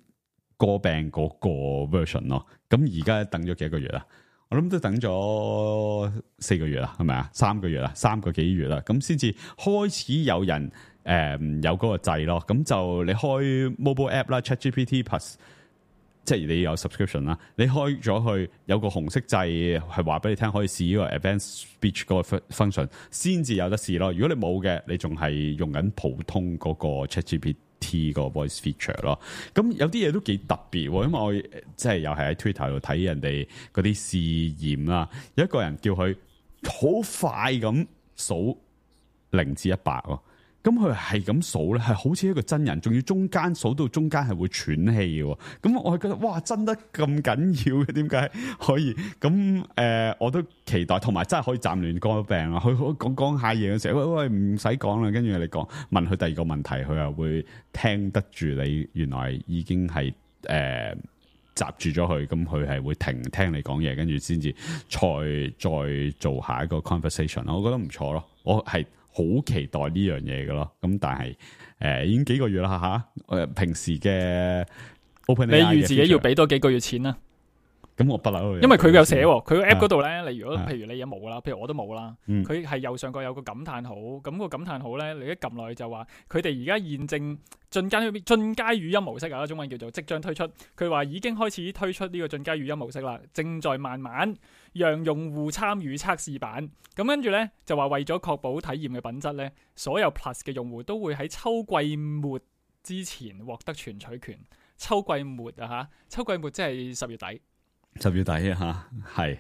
歌病嗰個 version 咯。咁而家等咗幾個月啦，我諗都等咗四個月啦，係咪啊？三個月啦，三個幾月啦，咁先至開始有人。誒、嗯，有嗰個掣咯，咁就你開 mobile app 啦 ，ChatGPT Plus， 即係你有 subscription 啦，你開咗去有個紅色掣係話俾你聽可以試呢個 advanced speech 嗰個 function， 先至有得試咯。如果你冇嘅，你仲係用緊普通嗰個 ChatGPT 個 voice feature 咯。咁有啲嘢都幾特別，因為我即係又係喺 Twitter 度睇人哋嗰啲試驗啦，有一個人叫佢好快咁數零至一百喎。咁佢係咁數咧，係好似一個真人，仲要中間數到中間係會喘氣嘅。咁我係覺得哇，真得咁緊要嘅，點解可以？咁誒、呃，我都期待，同埋真係可以暫亂歌病啊！佢講講下嘢嘅時候，喂喂，唔使講啦，跟住你講問佢第二個問題，佢又會聽得住你。原來已經係誒。呃閘住咗佢，咁佢係會停聽你講嘢，跟住先至再再做下一個 conversation 咯。我覺得唔錯咯，我係好期待呢樣嘢嘅咯。咁但係誒、呃、已經幾個月啦吓，誒、啊、平時嘅 OpenAI 你預自己要俾多幾個月錢啦。咁我不嬲，因為佢有寫喎，佢個 app 嗰度咧，你如果啊譬如你有冇啦，譬如我都冇啦，嗯佢係右上角有個感嘆號，咁、個感嘆號咧，你一撳落去就話佢哋而家現正進階進階語音模式啊，中文叫做即將推出。佢話已經開始推出呢個進階語音模式啦，正在慢慢讓用戶參與測試版。咁跟住咧就話為咗確保體驗嘅品質咧，所有 Plus 嘅用戶都會喺秋季末之前獲得全取權。秋季末啊嚇，秋季末即係十月底。十月底啊吓，係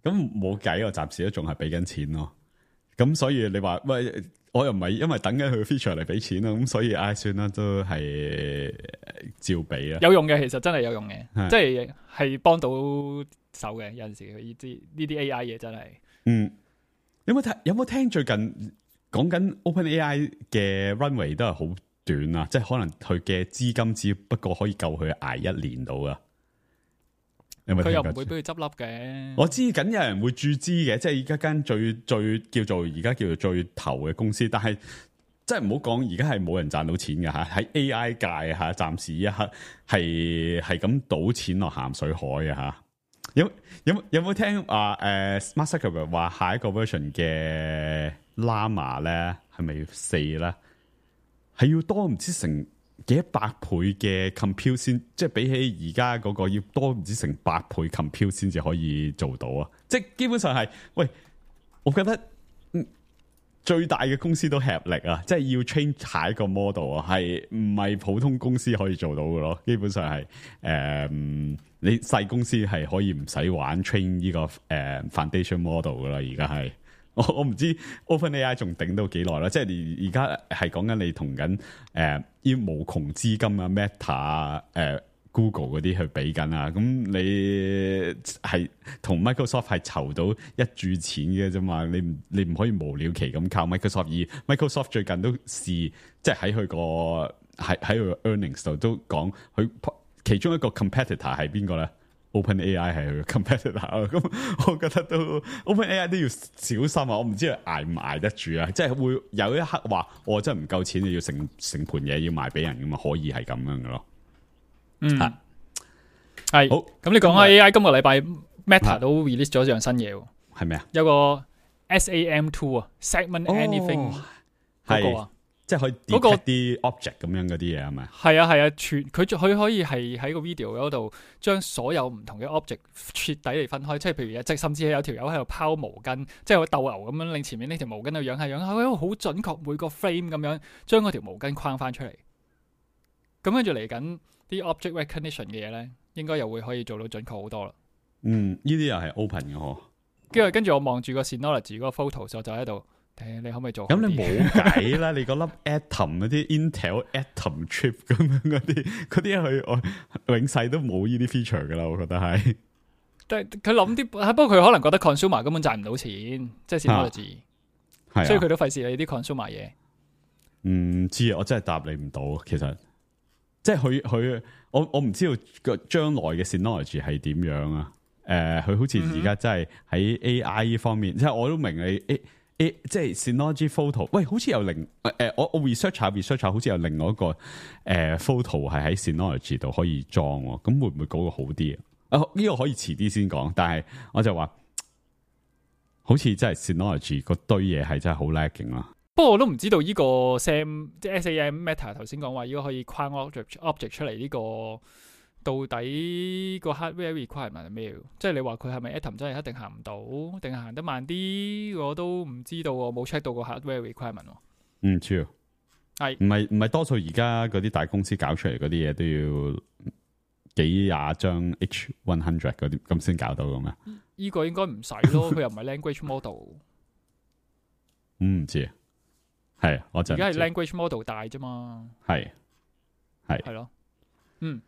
咁冇計，我暫時都仲係俾緊錢咯。咁所以你話喂，我又唔係因為等緊佢 feature 嚟俾錢啦，咁所以唉、哎，算啦，都係照俾啊。有用嘅，其實真係有用嘅，係即係係幫到手嘅。有陣時呢啲呢啲 A I 嘢真係。嗯，有冇睇？有冇聽最近講緊 OpenAI 嘅 runway 都係好短啊，即係可能佢嘅資金只不過可以夠佢捱一年到啊。佢又唔會俾佢執笠嘅。我知緊有人會注資嘅，即係而家間最最叫做而家叫做最頭嘅公司，但係即係唔好講，而家係冇人賺到錢嘅吓，喺 A I 界吓，暫時一刻係係咁賭錢落鹹水海嘅吓。有有有冇聽話誒、呃、Mark Zuckerberg 話下一個 version 嘅 Llama 咧係咪四咧？係要多唔知成幾百倍嘅 compute 先，即係比起而家嗰個要多唔知成百倍 compute 先至可以做到啊！即係基本上係，喂，我覺得、嗯、最大嘅公司都吃力啊！即係要 train 下一個 model 啊，係唔係普通公司可以做到嘅咯？基本上係誒、呃，你細公司係可以唔使玩 train 呢、這個誒、呃、foundation model 噶啦，而家係。我我唔知 OpenAI 仲頂到幾耐啦，即係而家係講緊你同緊誒啲無窮資金啊 Meta 啊誒、呃、Google 嗰啲去比緊啊，咁你係同 Microsoft 係籌到一注錢嘅啫嘛，你唔你唔可以無了期咁靠 Microsoft， 而 Microsoft 最近都試即係喺佢個喺喺佢個 earnings 度都講佢其中一個 competitor 係邊個咧？OpenAI 係佢 competitor，咁我覺得都 OpenAI 都要小心啊！我唔知佢捱唔捱得住啊！即係會有一刻話我真係唔夠錢，你要成成盤嘢要賣俾人咁啊，可以係咁樣嘅咯。嗯，係係好。咁你講開 A I，今個禮拜 Meta 都 release 咗樣新嘢喎。係咩啊？有個 S A M two 啊 ，Segment Anything 嗰個啊。即係可以 detect 啲 object 咁樣嗰啲嘢係咪？係啊係啊，全佢佢可以係喺個 video 嗰度將所有唔同嘅 object 徹底嚟分開，即係譬如即係甚至係有條友喺度拋毛巾，即係個鬥牛咁樣，令前面呢條毛巾度揚下揚下，佢好準確每個 frame 咁樣將嗰條毛巾框翻出嚟。咁跟住嚟緊啲 object recognition 嘅嘢咧，應該又會可以做到準確好多啦。嗯，呢啲又係 open 嘅嗬。跟住跟住我望住個 Synology 嗰個 photo，我就喺度。你可唔可以做？咁你冇計啦！你嗰粒 Atom 嗰啲 Intel Atom chip 咁樣嗰啲，嗰啲佢我永世都冇呢啲 feature 噶啦，我覺得係。但係佢諗啲，不過佢可能覺得 consumer 根本賺唔到錢，即係 technology，係，所以佢都費事你啲 consumer 嘢。唔知啊，我真係答你唔到。其實，即係佢佢，我我唔知道個將來嘅 technology 係點樣啊？誒、呃，佢好似而家真係喺 A I 呢方面，嗯、即係我都明你。欸欸、即係 Synology Photo，喂，好似有另誒、呃，我我 research 下 research 下，好似有另外一個誒、呃、photo 係喺 Synology 度可以裝，咁會唔會嗰個好啲啊？啊，呢個可以遲啲先講，但係我就話，好似真係 Synology 嗰堆嘢係真係好 lagging 啦。不過我都唔知道呢個 Sam 即係 S A M Meta 頭先講話，呢個可以框 object object 出嚟呢、這個。到底個 hardware requirement 係咩？即係你話佢係咪 Atom 真係一定行唔到，定係行得慢啲？我都唔知道，我冇 check 到個 hardware requirement。唔知係唔係唔係多數而家嗰啲大公司搞出嚟嗰啲嘢都要幾廿張 H 一百嗰啲咁先搞到嘅咩？呢個應該唔使咯，佢又唔係 language model。唔知啊，係我就而家係 language model 大啫嘛，係係係咯，嗯，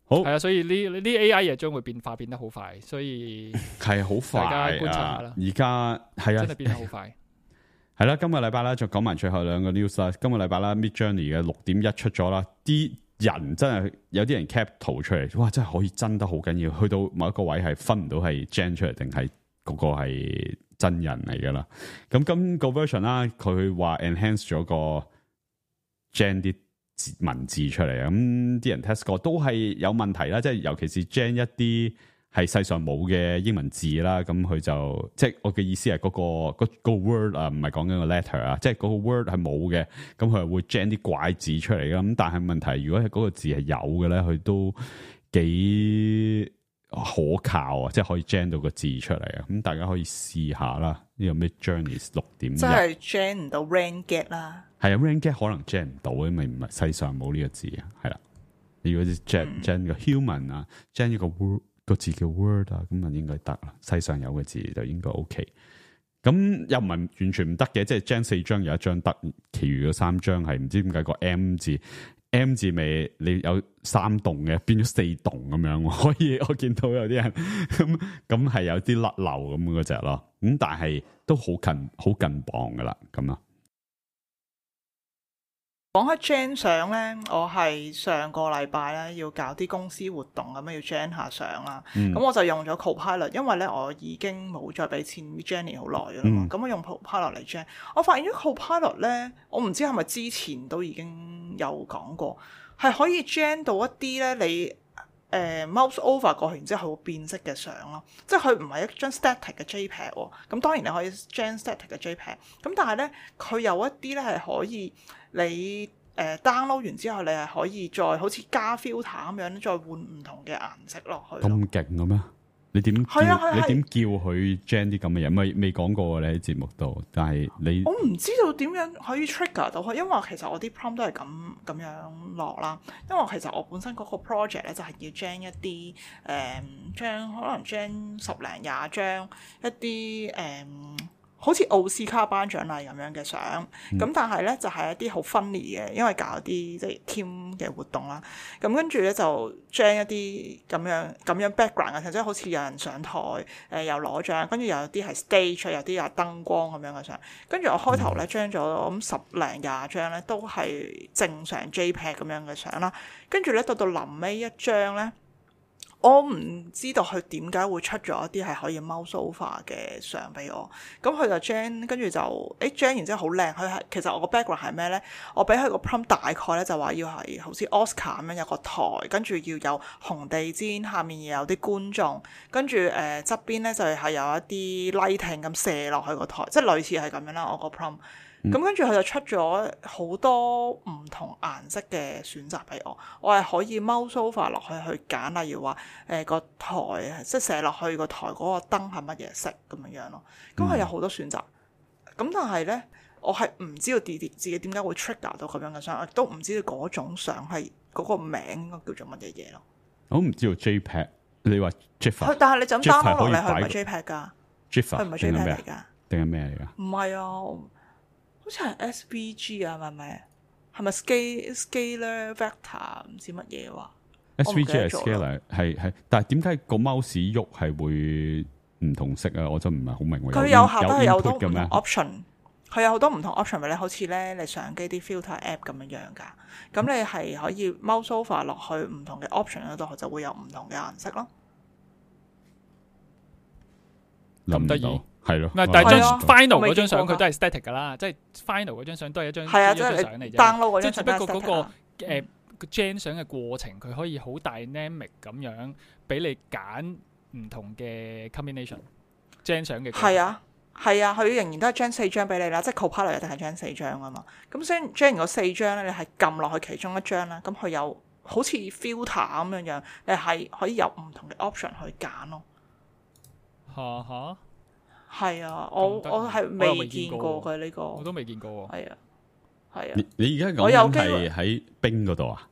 好係啊，所以呢呢 A I 嘢將會變化變得好快，所以係好快大家觀察下啊啦！而家係啊真係，變得好快。係啦，今個禮拜咧就講埋最後兩個 news 啦。今個禮拜啦 ，Midjourney 嘅六點一出咗啦，啲人真係有啲人 cap 圖出嚟，哇！真係可以真得好緊要，去到某一個位係分唔到係 gen 出嚟定係嗰個係真人嚟噶啦。咁今個 version 啦，佢話 enhance 咗個 gen 啲文字出嚟啊，咁啲人 test 過都係有問題啦，即係尤其是 gen 一啲係世上冇嘅英文字啦，咁佢就即係我嘅意思係嗰、嗰個、嗰個 word 啊，唔係講緊個 letter 啊，即係嗰個 word 係冇嘅，咁佢係會 gen 啲怪字出嚟噶，咁但係問題如果係嗰個字係有嘅咧，佢都幾可靠啊，即係可以 gen 到個字出嚟啊，咁大家可以試下啦，呢、呢個 Midjourney 六點一，即係 gen 唔到 ranget 啦。係啊 ranget 可能 gen 唔到，因為唔係世上冇呢個字啊，係啦，如果 gen gen 個 human 啊 gen 一個 word。個字叫 word 啊，咁啊應該得啦。世上有嘅字就應該 OK。咁又唔係完全唔得嘅，即係 gen 四張有一張得，其餘嗰三張係唔知點解個 M 字 M 字尾你有三棟嘅，變咗四棟咁樣。可以我見到有啲人咁咁係有啲甩漏咁嗰隻咯。咁但係都好近好近磅噶啦，咁啊。講開 gen 相咧，我係上個禮拜咧要搞啲公司活動咁樣要 gen 下相啦。咁、嗯、我就用咗 Copilot，因為咧我已經冇再俾錢 Jenny 好耐噶啦嘛。咁、嗯、我用 Copilot 嚟 gen，我發現咗 Copilot 咧，我唔知係咪之前都已經有講過，係可以 gen 到一啲咧你誒、呃、mouse over 過去，然之後佢會變色嘅相咯。即係佢唔係一張 static 嘅 JPEG 喎。咁當然你可以 gen static 嘅 JPEG，咁但係咧佢有一啲咧係可以。你誒、呃、download 完之後，你係可以再好似加 filter 咁樣，再換唔同嘅顏色落去。咁勁嘅咩？你點叫？係啊係啊你點叫佢 gen 啲咁嘅嘢？未未講過你喺節目度，但係你我唔知道點樣可以 trigger 到佢，因為其實我啲 prompt 都係咁咁樣落啦。因為其實我本身嗰個 project 咧就係要 gen 一啲誒將可能 gen 十零廿張一啲誒。嗯好似奧斯卡頒獎禮咁樣嘅相，咁、嗯、但係咧就係、是、一啲好 funny 嘅，因為搞啲即係 team 嘅活動啦。咁跟住咧就將一啲咁樣咁樣 background 嘅，即係好似有人上台誒、呃、又攞獎，跟住又有啲係 stage，有啲有燈光咁樣嘅相。跟住我開頭咧將咗咁十零廿張咧都係正常 JPEG 咁樣嘅相啦。跟住咧到到臨尾一張咧。我唔知道佢點解會出咗一啲係可以 mouse over 嘅相俾我，咁佢就 gen 跟住就誒 gen 完之後好靚，佢係其實我個 background 係咩咧？我俾佢個 prompt 大概咧就話要係好似 Oscar 咁樣有個台，跟住要有紅地氈，下面又有啲觀眾，跟住誒側邊咧就係有一啲 lighting 咁射落去個台，即係類似係咁樣啦。我個 prompt。咁跟住佢就出咗好多唔同顏色嘅選擇俾我，我係可以 mouse over 落去去揀，例如話誒個台即係射落去個台嗰個燈係乜嘢色咁樣樣咯。咁佢有好多選擇，咁但係咧我係唔知道自己自己點解會 trigger 到咁樣嘅相，亦都唔知道嗰種相係嗰個名應該叫做乜嘢嘢咯。我唔知道 JPEG， 你話 GIF， 但係你就咁 download 落嚟，佢唔係 JPEG 㗎 ，GIF 佢唔係 JPEG 嚟㗎，定係咩嚟㗎？唔係啊。好似係 S V G 啊，係咪？係咪 scale scalar vector 唔知乜嘢話 ？S V G 係 scalar 係係，但係點解個 mouse 喐係會唔同色啊？我真唔係好明。佢有下都係有好多唔同 option，佢有好多唔同 option 俾你，好似咧你相機啲 filter app 咁樣樣㗎。咁你係可以 mouse over 落去唔同嘅 option 嗰度，就會有唔同嘅顏色咯。咁得意。係咯，但係張 final 嗰張相佢都係 static 噶啦，即係 final 嗰張相都係一張係啊，一張相嚟啫。download 嗰張即係只不過嗰個誒個 gen 相嘅過程，佢可以好 dynamic 咁樣俾你揀唔同嘅 combination。gen 相嘅係啊係啊，佢仍然都係 gen 四張俾你啦，即係 Copilot 一定係 gen 四張啊嘛。咁所以 gen 嗰四張咧，你係撳落去其中一張啦，咁佢有好似 filter 咁樣樣，你係可以有唔同嘅 option 去揀咯。嚇嚇。係啊，我我係未見過嘅呢個，我都未見過喎。係啊，係啊。你你而家講緊係喺冰嗰度啊？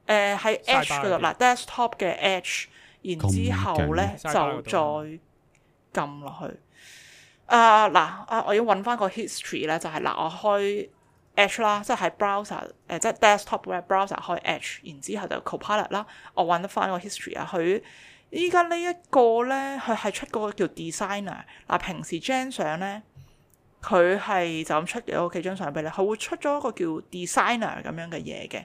誒喺 Edge 嗰度嗱 ，desktop 嘅 Edge，然之後咧就再撳落去。啊嗱啊，我要揾翻個 history 咧，就係、是、嗱，我開 Edge 啦，即係喺 browser 誒、呃，即係 desktop 嘅 browser 開 Edge，然之後就 Copilot 啦，我揾得翻個 history 啊。佢依家呢一個咧，佢係出嗰個叫 designer 嗱，平時張相咧，佢係就咁出咗幾張相俾你，佢會出咗一個叫 designer 咁樣嘅嘢嘅，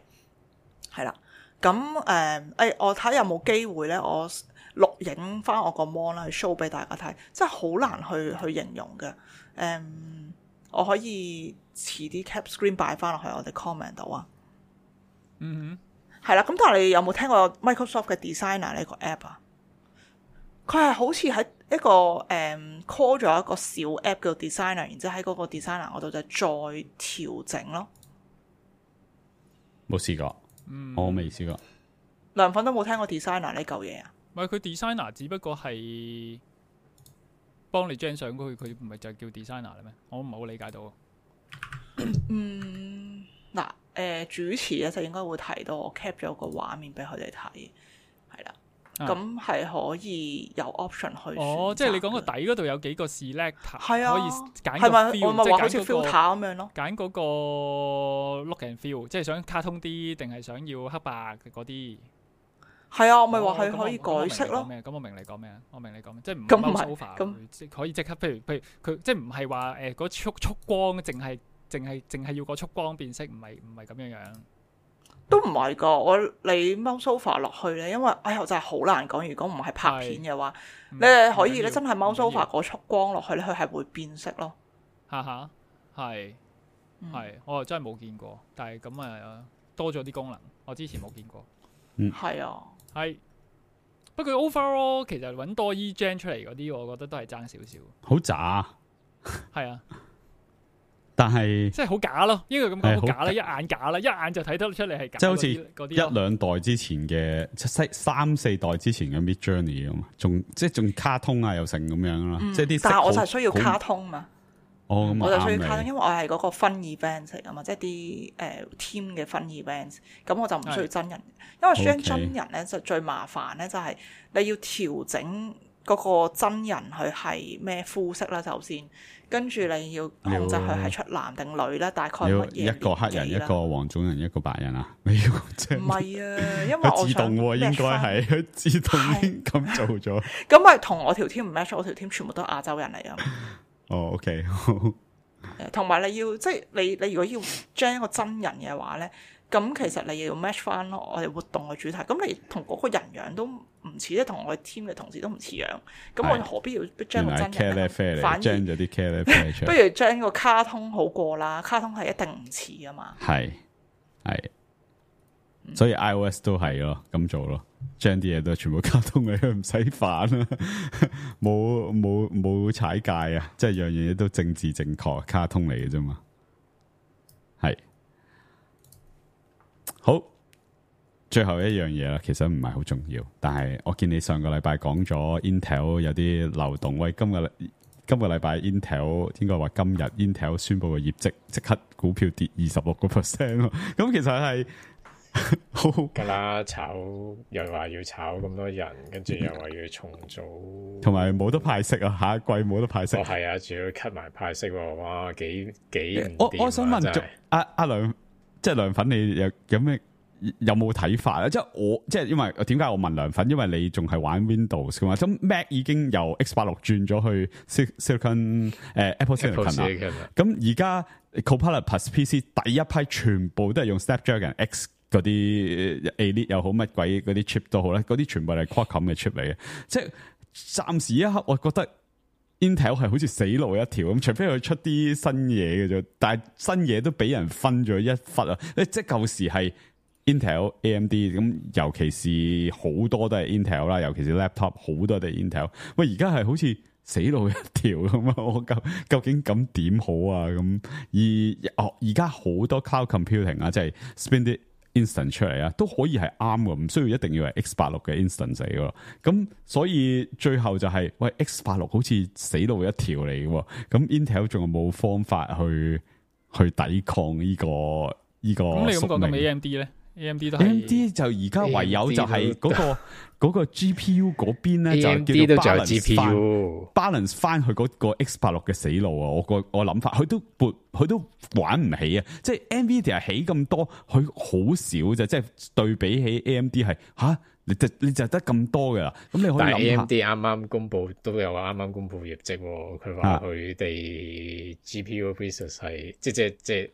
係啦。咁誒誒，我睇有冇機會咧，我錄影翻我個 mon 啦，去 show 俾大家睇，真係好難去去形容嘅。誒、嗯，我可以遲啲 cap screen 擺翻落去我哋 comment 度啊。嗯哼，係啦。咁但係你有冇聽過 Microsoft 嘅 Designer 呢個 app 啊？佢係好似喺一個誒、嗯、call 咗一個小 app 叫 Designer，然之後喺嗰個 Designer 嗰度就再調整咯。冇試過，嗯，我未試過。梁粉都冇聽過 Designer 呢嚿嘢啊？唔係佢 designer，只不過係幫你張相嗰佢，佢唔係就叫 designer 咧咩？我唔係好理解到。嗯，嗱，誒主持咧就應該會提到我 cap 咗個畫面俾佢哋睇，係啦，咁係、啊、可以有 option 去。哦，即係你講個底嗰度有幾個 select，係啊，可以揀個 feel，係咪我咪話好似即係揀嗰個 filter 咁樣咯？揀嗰個 look and feel，即係想卡通啲定係想要黑白嘅嗰啲。係啊，我咪話佢哦可以改色咯。咁我明你講咩啊？我明你講咩？即係唔咁唔係係咁即可以即刻，譬如譬如佢即係唔係話誒嗰束束光，淨係淨係淨係要個束光變色，唔係唔係咁樣樣。都唔係噶，我你 mouse over 落去咧，因為哎呀真係好難講。如果唔係拍片嘅話，你係可以咧真係 mouse over 嗰束光落去咧，佢係會變色咯。哈哈，係係，我真係冇見過，但係咁啊多咗啲功能，我之前冇見過。嗯，係啊。係，不過 overall 其實揾多 E-Gen 出嚟嗰啲，我覺得都係爭少少。好渣，係啊，但係即係好假咯，應該咁講好假啦，一眼假啦，一眼就睇得出嚟係假。即係好似嗰啲一兩代之前嘅，即係三四代之前嘅 Mid Journey 咁嘛，仲即係仲卡通啊又成咁樣啦，嗯、即係啲。但係我就係需要卡通嘛。哦，咁我就需要卡通，因為我係嗰個分 event 嚟噶嘛，即係啲誒 team 嘅分 event，咁我就唔需要真人，因為將真人咧就最麻煩咧，就係你要調整嗰個真人佢係咩膚色啦，首先，跟住你要控制佢係出男定女啦，大概乜嘢？一個黑人，一個黃種人，一個白人啊？你要即係唔係啊？因為我自動喎，應該係佢自動咁做咗。咁咪同我條 team 唔 match，我條 team 全部都係亞洲人嚟啊！哦、oh，OK， 同埋你要即係你你如果要將一個真人嘅話咧，咁其實你要 match 翻我哋活動嘅主題，咁你同嗰個人樣都唔似，即係同我哋 team 嘅同事都唔似樣，咁我何必要將個真人呢？反而將咗啲茄喱啡出嚟，不如將個卡通好過啦，卡通係一定唔似噶嘛。係係，所以 iOS 都係咯，咁做咯。將啲嘢都全部卡通嘅，唔使反啦，冇冇冇踩界啊！即係樣樣嘢都政治正確，卡通嚟嘅啫嘛。係好，最後一樣嘢啦，其實唔係好重要，但係我見你上個禮拜講咗 Intel 有啲漏洞，喂，今個今個禮拜 Intel 應該話今日 Intel 宣布嘅業績，即刻股票跌二十六個 percent 咯。咁其實係。好噶啦，炒又話要炒咁多人，跟住又話要重組，同埋冇得派息啊！下一季冇得派息。哦，係啊，仲要 cut 埋派息喎！哇，幾幾唔掂啊！我我想問，阿阿梁，即係梁粉，你有有咩有冇睇法啊？即係我即係因為點解我問梁粉？因為你仲係玩 Windows 噶嘛？咁 Mac 已經由 X 八六轉咗去 Silicon 誒 Apple Silicon 啦。咁而家 Copilot Plus P C 第一批全部都係用 Snapdragon X。嗰啲 Elite 又好乜鬼嗰啲 chip 都好咧，嗰啲全部係 Qualcomm 嘅 chip 嚟嘅。即係暫時一刻，我覺得 Intel 係好似死路一條咁，除非佢出啲新嘢嘅啫。但係新嘢都俾人分咗一忽啊！即係舊時係 Intel、A M D 咁，尤其是好多都係 Intel 啦，尤其是 laptop 好多都係 Intel。喂，而家係好似死路一條咁啊！我究究竟咁點好啊？咁而哦，而家好多 cloud computing 啊，即係 spend 啲instant 出嚟啊，都可以係啱嘅，唔需要一定要係 X 八六嘅 instant 嚟嘅。咁所以最後就係、是、喂 X 八六好似死路一條嚟嘅，咁 Intel 仲有冇方法去去抵抗呢、這個呢、這個？咁你咁講咁 A M D 咧 A M D 都 A M 係 D 就而家唯有就係嗰、個嗰個 G P U 嗰邊咧，就 A M D 叫做都仲有 balance G P 翻 U， balance 翻佢嗰個 X 八六嘅死路啊！我個我諗法，佢都撥佢都玩唔起啊！即係 Nvidia 起咁多，佢好少啫，即係對比起 A M D 係吓，你就你就得咁多噶啦。咁你可以但係 A 諗 M 下， D 啱啱公布都有啱啱公布業績喎，佢話佢哋 G P U business 係即即即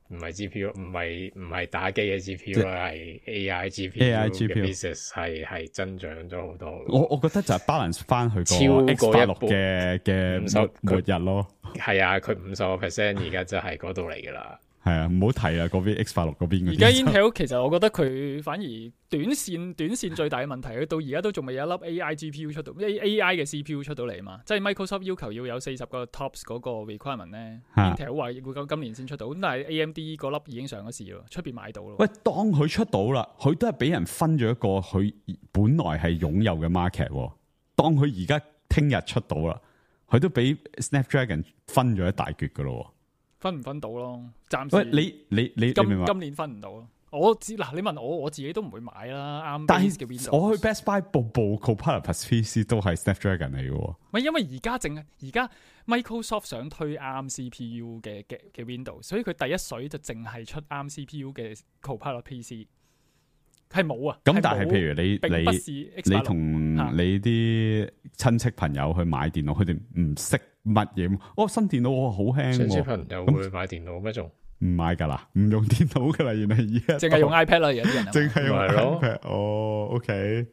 唔係 G P U， 唔係唔係打機嘅 G P U 啦，係 A I G P U A I G P U 嘅 business 係係增長咗好多。我我覺得就係 balance 翻佢超過個 X 八六一嘅嘅五十末日咯。係啊，佢五十個 percent 而家就係嗰度嚟噶啦。係啊，唔好提啦，嗰邊 X 八六嗰邊嗰啲。而家 Intel 其實我覺得佢反而短線短線最大嘅問題，佢到而家都仲未有一粒 A I G P U 出到 A A I 嘅 C P U 出到嚟嘛。即係 Microsoft 要求要有四十個 TOPS 嗰個 requirement 咧啊，Intel 話會今今年先出到，咁但係 A M D 嗰粒已經上咗市咯，出邊買到咯。喂，當佢出到啦，佢都係俾人分咗一個佢本來係擁有嘅 market 喎。當佢而家聽日出到啦，佢都俾 Snapdragon 分咗一大橛噶咯。分唔分到咯？暫時喂，你你你今你明唔明？今年分唔到咯。我知嗱，你問我，我自己都唔會買啦。啱但 base 嘅係 Windows，我去 Best Buy 部部 Copilot Plus P C 都係 Snapdragon 嚟嘅喎。唔係因為而家淨係而家 Microsoft 想推啱 C P U 嘅嘅嘅 Windows，所以佢第一水就淨係出啱 C P U 嘅 Copilot P C，係冇啊。咁但係譬如你並不是你 X 八六你同你啲親戚朋友去買電腦，佢哋唔識乜嘢。哦，新電腦我好輕親戚喎，朋友會買電腦咩仲？唔買㗎啦，唔用電腦㗎啦，原來而家淨係用 iPad 啦，而家啲人淨係用咪係咯 iPad。哦，OK，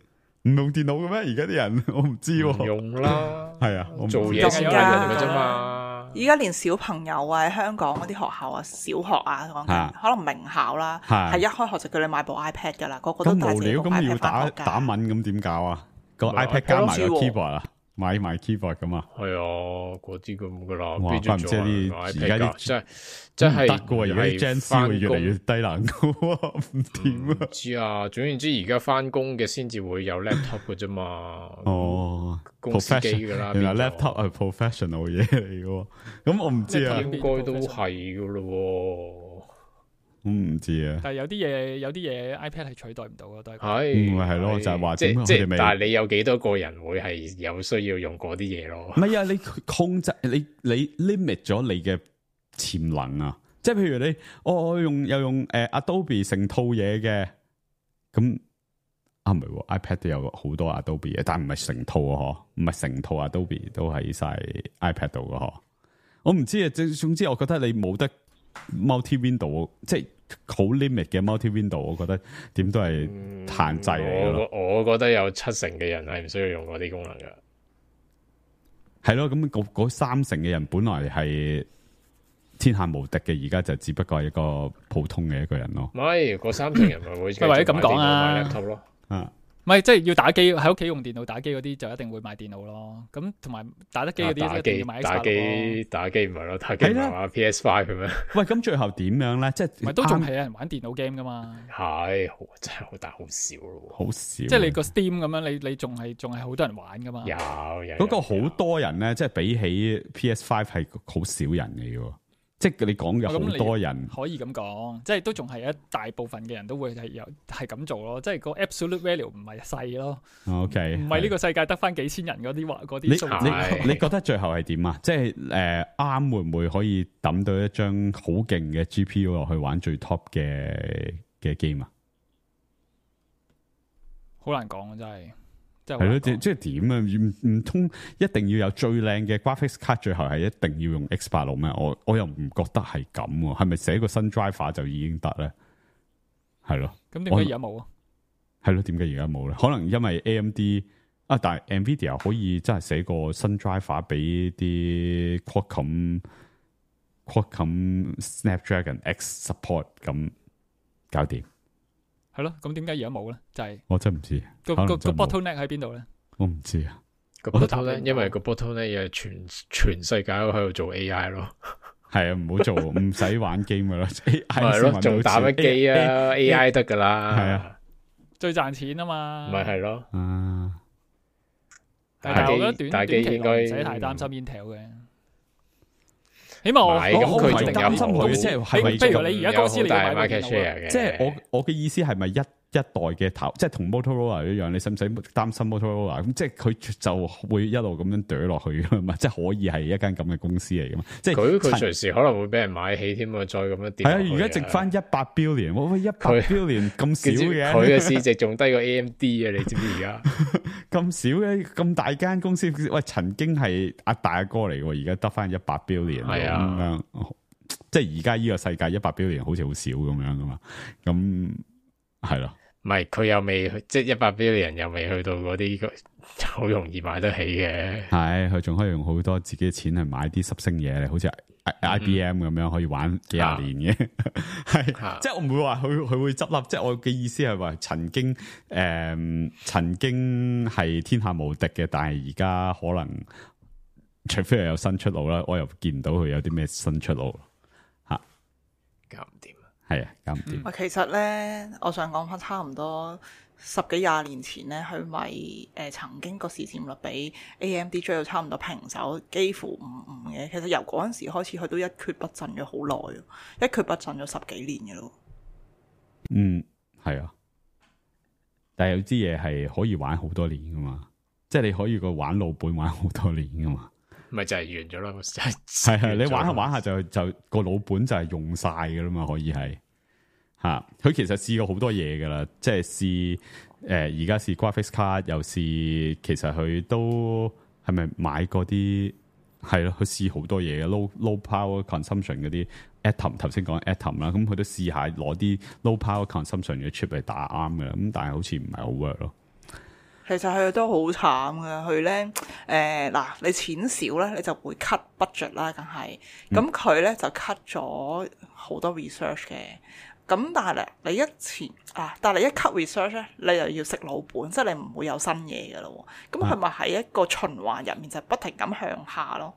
唔用電腦嘅咩？而家啲人我唔知唔喎。用啦，係啊，我唔知做嘢先用嘅啫嘛。依家連小朋友啊，喺香港嗰啲學校啊，小學啊，講緊啊可能名校啦，係係一開學就叫你買部 iPad 噶啦，個個都咁無聊，帶自己部咁要 iPad 打翻學㗎。打文咁點搞啊？個咪 iPad 加埋個 iPad keyboard 啊，買埋 keyboard 咁啊？係啊，嗰啲咁噶啦，哇邊度做啊怪唔知啲買而 iPad 家啲㗎真係真係得嘅喎，而家啲 Gen Z 會越嚟越低能嘅喎，唔掂啊！唔知啊，總言之，而家翻工嘅先至會有 laptop 嘅啫嘛。哦公司機㗎啦，原來變咗 laptop 係 professional 嘢嚟嘅喎，咁我唔知啊，應該都係噶咯我唔知啊。但係有啲嘢有啲嘢 iPad 係取代唔到嘅，都係喎。係咪係咯就係話即點解佢哋未即但係你有幾多個人會係有需要用嗰啲嘢咯唔？係啊，你控制你你 limit 咗你嘅潛能啊！即係譬如你我我用又用誒、呃、Adobe 成套嘢嘅，咁啊唔係喎 iPad 都有好多 Adobe 嘅，但係唔係成套啊嗬，唔係成套 Adobe 都喺晒 iPad 度嘅嗬。我唔知啊，總總之我覺得你冇得 multi window， 即係好 limit 嘅 multi window， 我覺得點都係限制嚟嘅咯。我我覺得有七成嘅人係唔需要用嗰啲功能嘅。係咯，咁嗰嗰三成嘅人本來係天下無敵嘅，而家就只不過係一個普通嘅一個人咯。唔係，嗰三成人咪會或者咁講啊買 laptop 咯。啊，唔係即係要打機喺屋企用電腦打機嗰啲就一定會買電腦咯。咁同埋打得機嗰啲打機一定要買 X 打八六咯。機打機唔係咯，打機唔係啦係話 P S Five 嘅咩？喂，咁最後點樣咧？即係唔係都仲啱係有人玩電腦 game 噶嘛？係，好真係好大好少咯。好少，即係你個 Steam 咁樣，你你仲係仲係好多人玩噶嘛？有有嗰個好有多人咧，即係比起 P S Five 係好少人嚟嘅，即係你講嘅好多人。可以咁講，即係都仲係一大部分嘅人都會係有係咁做咯。即係個 absolute value 唔係細咯， OK，唔係呢個世界得翻幾千人嗰啲話嗰你啲數字。係你你覺得最後係點啊？即係誒啱會唔會可以抌到一張好勁嘅 G P U 落去玩最 top 嘅嘅 game 啊？好難講啊，真係。係咯，即即係點啊？唔唔通一定要有最靚嘅 graphics card，最後係一定要用 X 八六咩？我我又唔覺得係咁喎。係咪寫個新 driver 就已經得咧？係咯。咁點解而家冇啊？係咯，點解而家冇咧？可能因為 A M D 啊，但係 Nvidia 可以真係寫個新 driver 俾啲 Qualcomm Qualcomm Snapdragon X support 咁搞掂。係咯，咁點解而家冇咧？就係我真唔知，個個個可能真冇 bottleneck 喺邊度咧？我唔知啊。個我都 bottle 咧，答唔到因為個 bottle 咧，又係全全世界都喺度做 A I 咯。係啊，唔好做，唔使玩 game 噶啦。係咯，仲打乜機啊？A I 得噶啦。係啊，最賺錢啊嘛。咪係咯。啊，但係我覺得短打機短期應該內唔使太擔心 Intel 嘅。起碼我唔係咁我佢仲好肯定有好擔心佢即係係咪譬如你而家公司你要買部電 market 腦 share 啊，嘅，即係我我嘅意思係咪一一代嘅頭，即係同 Motorola 一樣，你使唔使擔心 Motorola？咁即係佢就會一路咁樣懟落去噶嘛，即係可以係一間咁嘅公司嚟噶嘛。即係佢佢隨時可能會俾人買起添啊，再咁樣跌落去。係啊，而家值翻一百 billion，喂一百 billion 咁少嘅，佢嘅市值仲低過 A M D 啊！你知唔知而家咁少嘅咁大間公司，喂曾經係阿大阿哥嚟嘅，而家得翻一百 billion 係啊咁樣，即係而家呢個世界一百 billion 好似好少咁樣噶嘛，咁係咯。唔係佢又未去，即係一百 billion 又未去到嗰啲好容易買得起嘅。係佢仲可以用好多自己嘅錢去買啲濕星嘢，好似 I B M 咁樣可以玩幾廿年嘅。係、啊，即係我唔會話佢佢會執笠。即係我嘅意思係話曾經誒、呃、曾經係天下無敵嘅，但係而家可能除非係有新出路啦，我又見唔到佢有啲咩新出路吓，搞唔掂。係啊，搞唔掂。喂，其實咧，我想講翻差唔多十幾廿年前咧，佢咪誒曾經個市佔率比 A M D 追到差唔多平手，幾乎五五嘅。其實由嗰陣時開始，佢都一蹶不振咗好耐，一蹶不振咗十幾年嘅咯。嗯，係啊，但係有啲嘢係可以玩好多年噶嘛，即係你可以個玩老本玩好多年噶嘛。咪就係完咗咯，係係你玩下玩下就就個老本就係用晒噶啦嘛，可以係吓。佢其實試過好多嘢噶啦，即係試誒而家試 graphics card，又試其實佢都係咪買嗰啲係咯？佢試好多嘢嘅 low low power consumption 嗰啲 atom， 頭先講 atom 啦，咁佢都試下攞啲 low power consumption 嘅 chip 嚟打啱嘅，咁但係好似唔係好 work 咯。其實佢都好慘嘅，佢咧誒嗱，你錢少咧，你就會 cut budget 啦，梗係。咁佢咧就 cut 咗好多 research 嘅。咁但係咧，你一前啊，但係你一 cut research 咧，你又要食老本，即係你唔會有新嘢嘅咯。咁佢咪喺一個循環入面，就不停咁向下咯。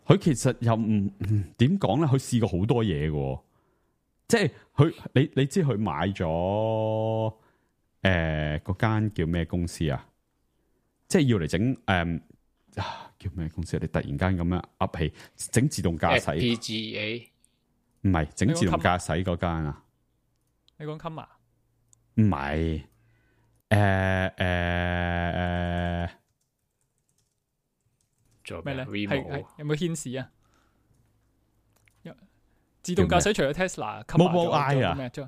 佢其實又唔點講咧？佢試過好多嘢嘅，即係佢你你知佢買咗。誒，嗰間、呃、叫咩公司啊？即係要嚟整誒，叫咩公司啊？你突然間咁樣噏起，整自動駕駛 F P G A 唔係整自動駕駛嗰間啊？你講 Comma 唔係，誒誒誒，做咩咧？係 Remo 係有冇顯示啊？自動駕駛除咗 Tesla、Mobileye 啊咩啫？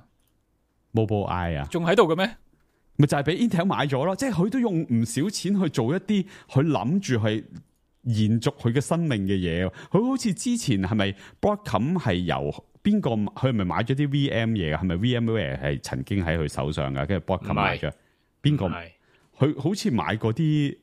Mobileye 啊，仲喺度嘅咩？咪就係俾 Intel 買咗咯，即係佢都用唔少錢去做一啲佢諗住係延續佢嘅生命嘅嘢。佢好似之前係咪 Broadcom 係由邊個？佢係咪買咗啲 V M 嘢㗎？係咪 VMware 係曾經喺佢手上㗎？跟住 Broadcom 買咗邊個？佢好似買嗰啲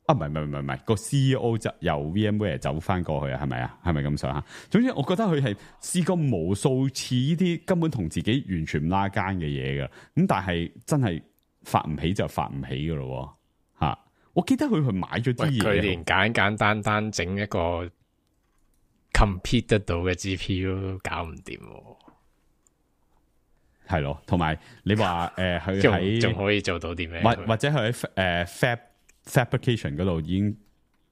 啊？唔係唔係唔係唔係個 C E O 就由 VMware 走翻過去啊？係咪啊？係咪咁上下？總之我覺得佢係試過無數次呢啲根本同自己完全唔拉更嘅嘢㗎。咁但係真係。發唔起就發唔起噶咯，吓、啊！我記得佢去買咗啲嘢，佢連簡簡單單整一個 compete 得到嘅 G P U 都搞唔掂，係咯。同埋你話誒，佢喺仲可以做到啲咩？或或者佢喺誒 fab fabrication 嗰度已經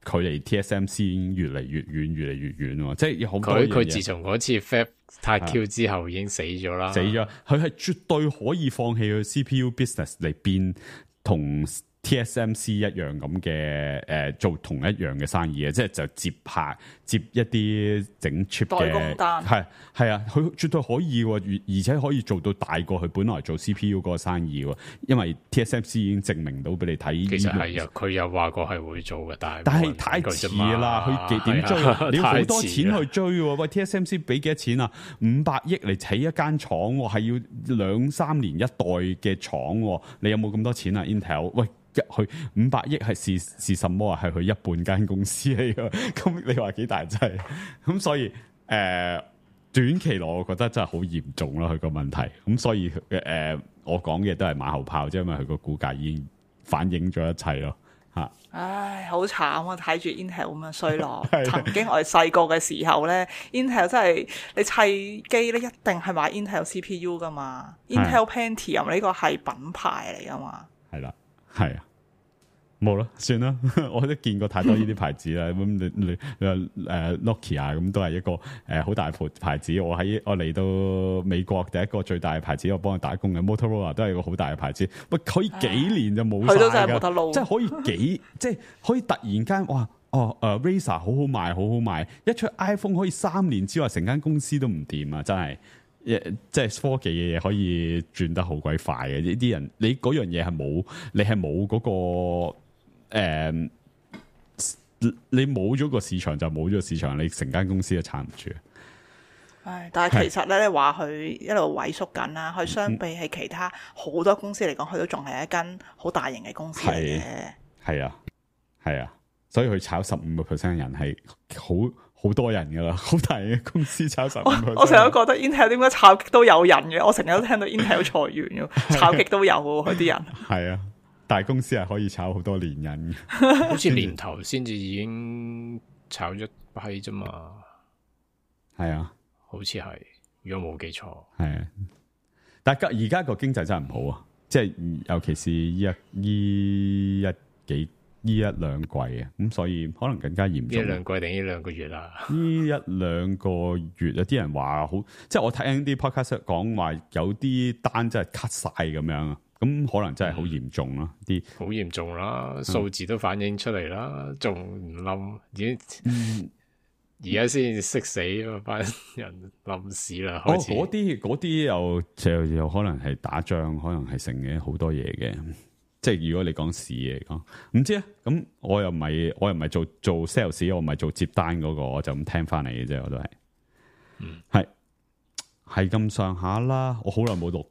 距離 T S M C 已經越嚟越遠，越嚟越遠喎。即係有好多嘢。佢佢自從嗰次 Fab 太 Q 之後已經死咗啦，死咗。佢係絕對可以放棄佢 C P U business 嚟變同 T S M C 一樣咁嘅誒，做同一樣嘅生意嘅，即係就接拍接一啲整 chip 嘅代工單，係係啊，佢絕對可以喎，而且可以做到大過佢本來做 C P U 嗰個生意喎，因為 T S M C 已經證明到俾你睇。其實係啊，佢又話過係會做嘅，但係但係太遲啦，佢點追？啊、你要好多錢去追喎。喂 ，T S M C 俾幾多錢啊？五百億嚟起一間廠，係要兩三年一代嘅廠，你有冇咁多錢啊 Intel？喂！佢五百億係是是什麼啊？係佢一半間公司嚟噶，咁你話幾大劑？咁、嗯、所以誒、呃，短期內我覺得真係好嚴重咯，佢個問題。咁所以誒、呃，我講嘅都係馬後炮，即係因為佢個股價已經反映咗一切咯。吓，唉，好慘啊！睇住 Intel 咁樣衰落。曾經我哋細個嘅時候咧，Intel 真係你砌機咧，一定係買 Intel C P U 噶嘛。Intel Pentium 呢個係品牌嚟噶嘛。係啦，係啊。冇啦，算啦，我都見過太多呢啲牌子啦。咁你你你話誒 Nokia 咁都係一個誒好大牌牌子。我喺我嚟到美國第一個最大嘅牌子，我幫佢打工嘅 Motorola 都係個好大嘅牌子。喂，可以幾年就冇晒佢都真係冇得㗎，撈即係可以幾即係可以突然間哇哦誒、呃、Razer 好好賣，好好賣，一出 iPhone 可以三年之外成間公司都唔掂啊！真係。即係科技嘅嘢可以轉得好鬼快嘅，呢啲人你嗰樣嘢係冇，你係冇嗰個誒、呃，你冇咗個市場就冇咗個市場，你成間公司都撐唔住。唉，但係其實咧，你話佢一路萎縮緊啦，佢相比起其他好多公司嚟講，佢都仲係一間好大型嘅公司嚟嘅。係啊，係啊，所以佢炒十五個 percent 人係好。好多人噶啦，好大嘅公司炒十五 percent。我成日都覺得 Intel 點解炒極都有人嘅，我成日都聽到 Intel 裁員嘅，炒極都有喎，佢啲人。係啊，大公司係可以炒好多年人嘅，好似年頭先至已經炒咗批啫嘛。係啊，好似係，如果冇記錯。係啊，但係而家個經濟真係唔好啊，即係尤其是依一依一幾。呢一兩季啊，咁所以可能更加嚴重。呢兩季定呢兩個月啊？呢一兩個月有啲人話好，即係我聽啲 podcast 講話有啲單真係 cut 晒咁樣啊，咁可能真係好嚴重啦，啲好嚴重啦，數字都反映出嚟啦，仲唔冧？已經而家先識死嗰班人冧屎啦，開始。哦，嗰啲嗰啲又就又可能係打仗，可能係成嘅好多嘢嘅。即係如果你講市嚟講，唔知啊。咁我又唔係，我又唔係做做 sales，我唔係做接單嗰個，我就咁聽翻嚟嘅啫。我都係，嗯，係係咁上下啦。我好耐冇錄，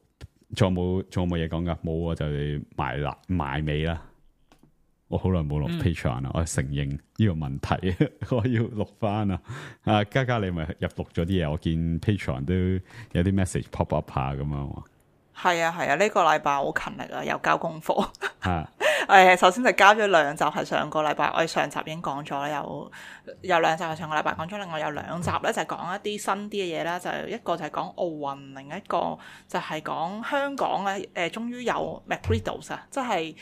仲有冇仲有冇嘢講噶？冇啊，就係埋啦埋尾啦。我好耐冇錄 Patreon 啦，我承認呢個問題，我要錄翻啊。啊，嘉嘉你咪入錄咗啲嘢，我見 Patreon 都有啲 message pop up 下咁樣。係啊係啊，呢、這個禮拜好勤力啊，又交功課。啊，誒，首先就交咗兩集，係上個禮拜我哋上集已經講咗啦，有有兩集係上個禮拜講咗，另外有兩集咧就係講一啲新啲嘅嘢啦，就一個就係講奧運，另一個就係講香港咧，誒、呃，終於有 McGriddles 啊，即係。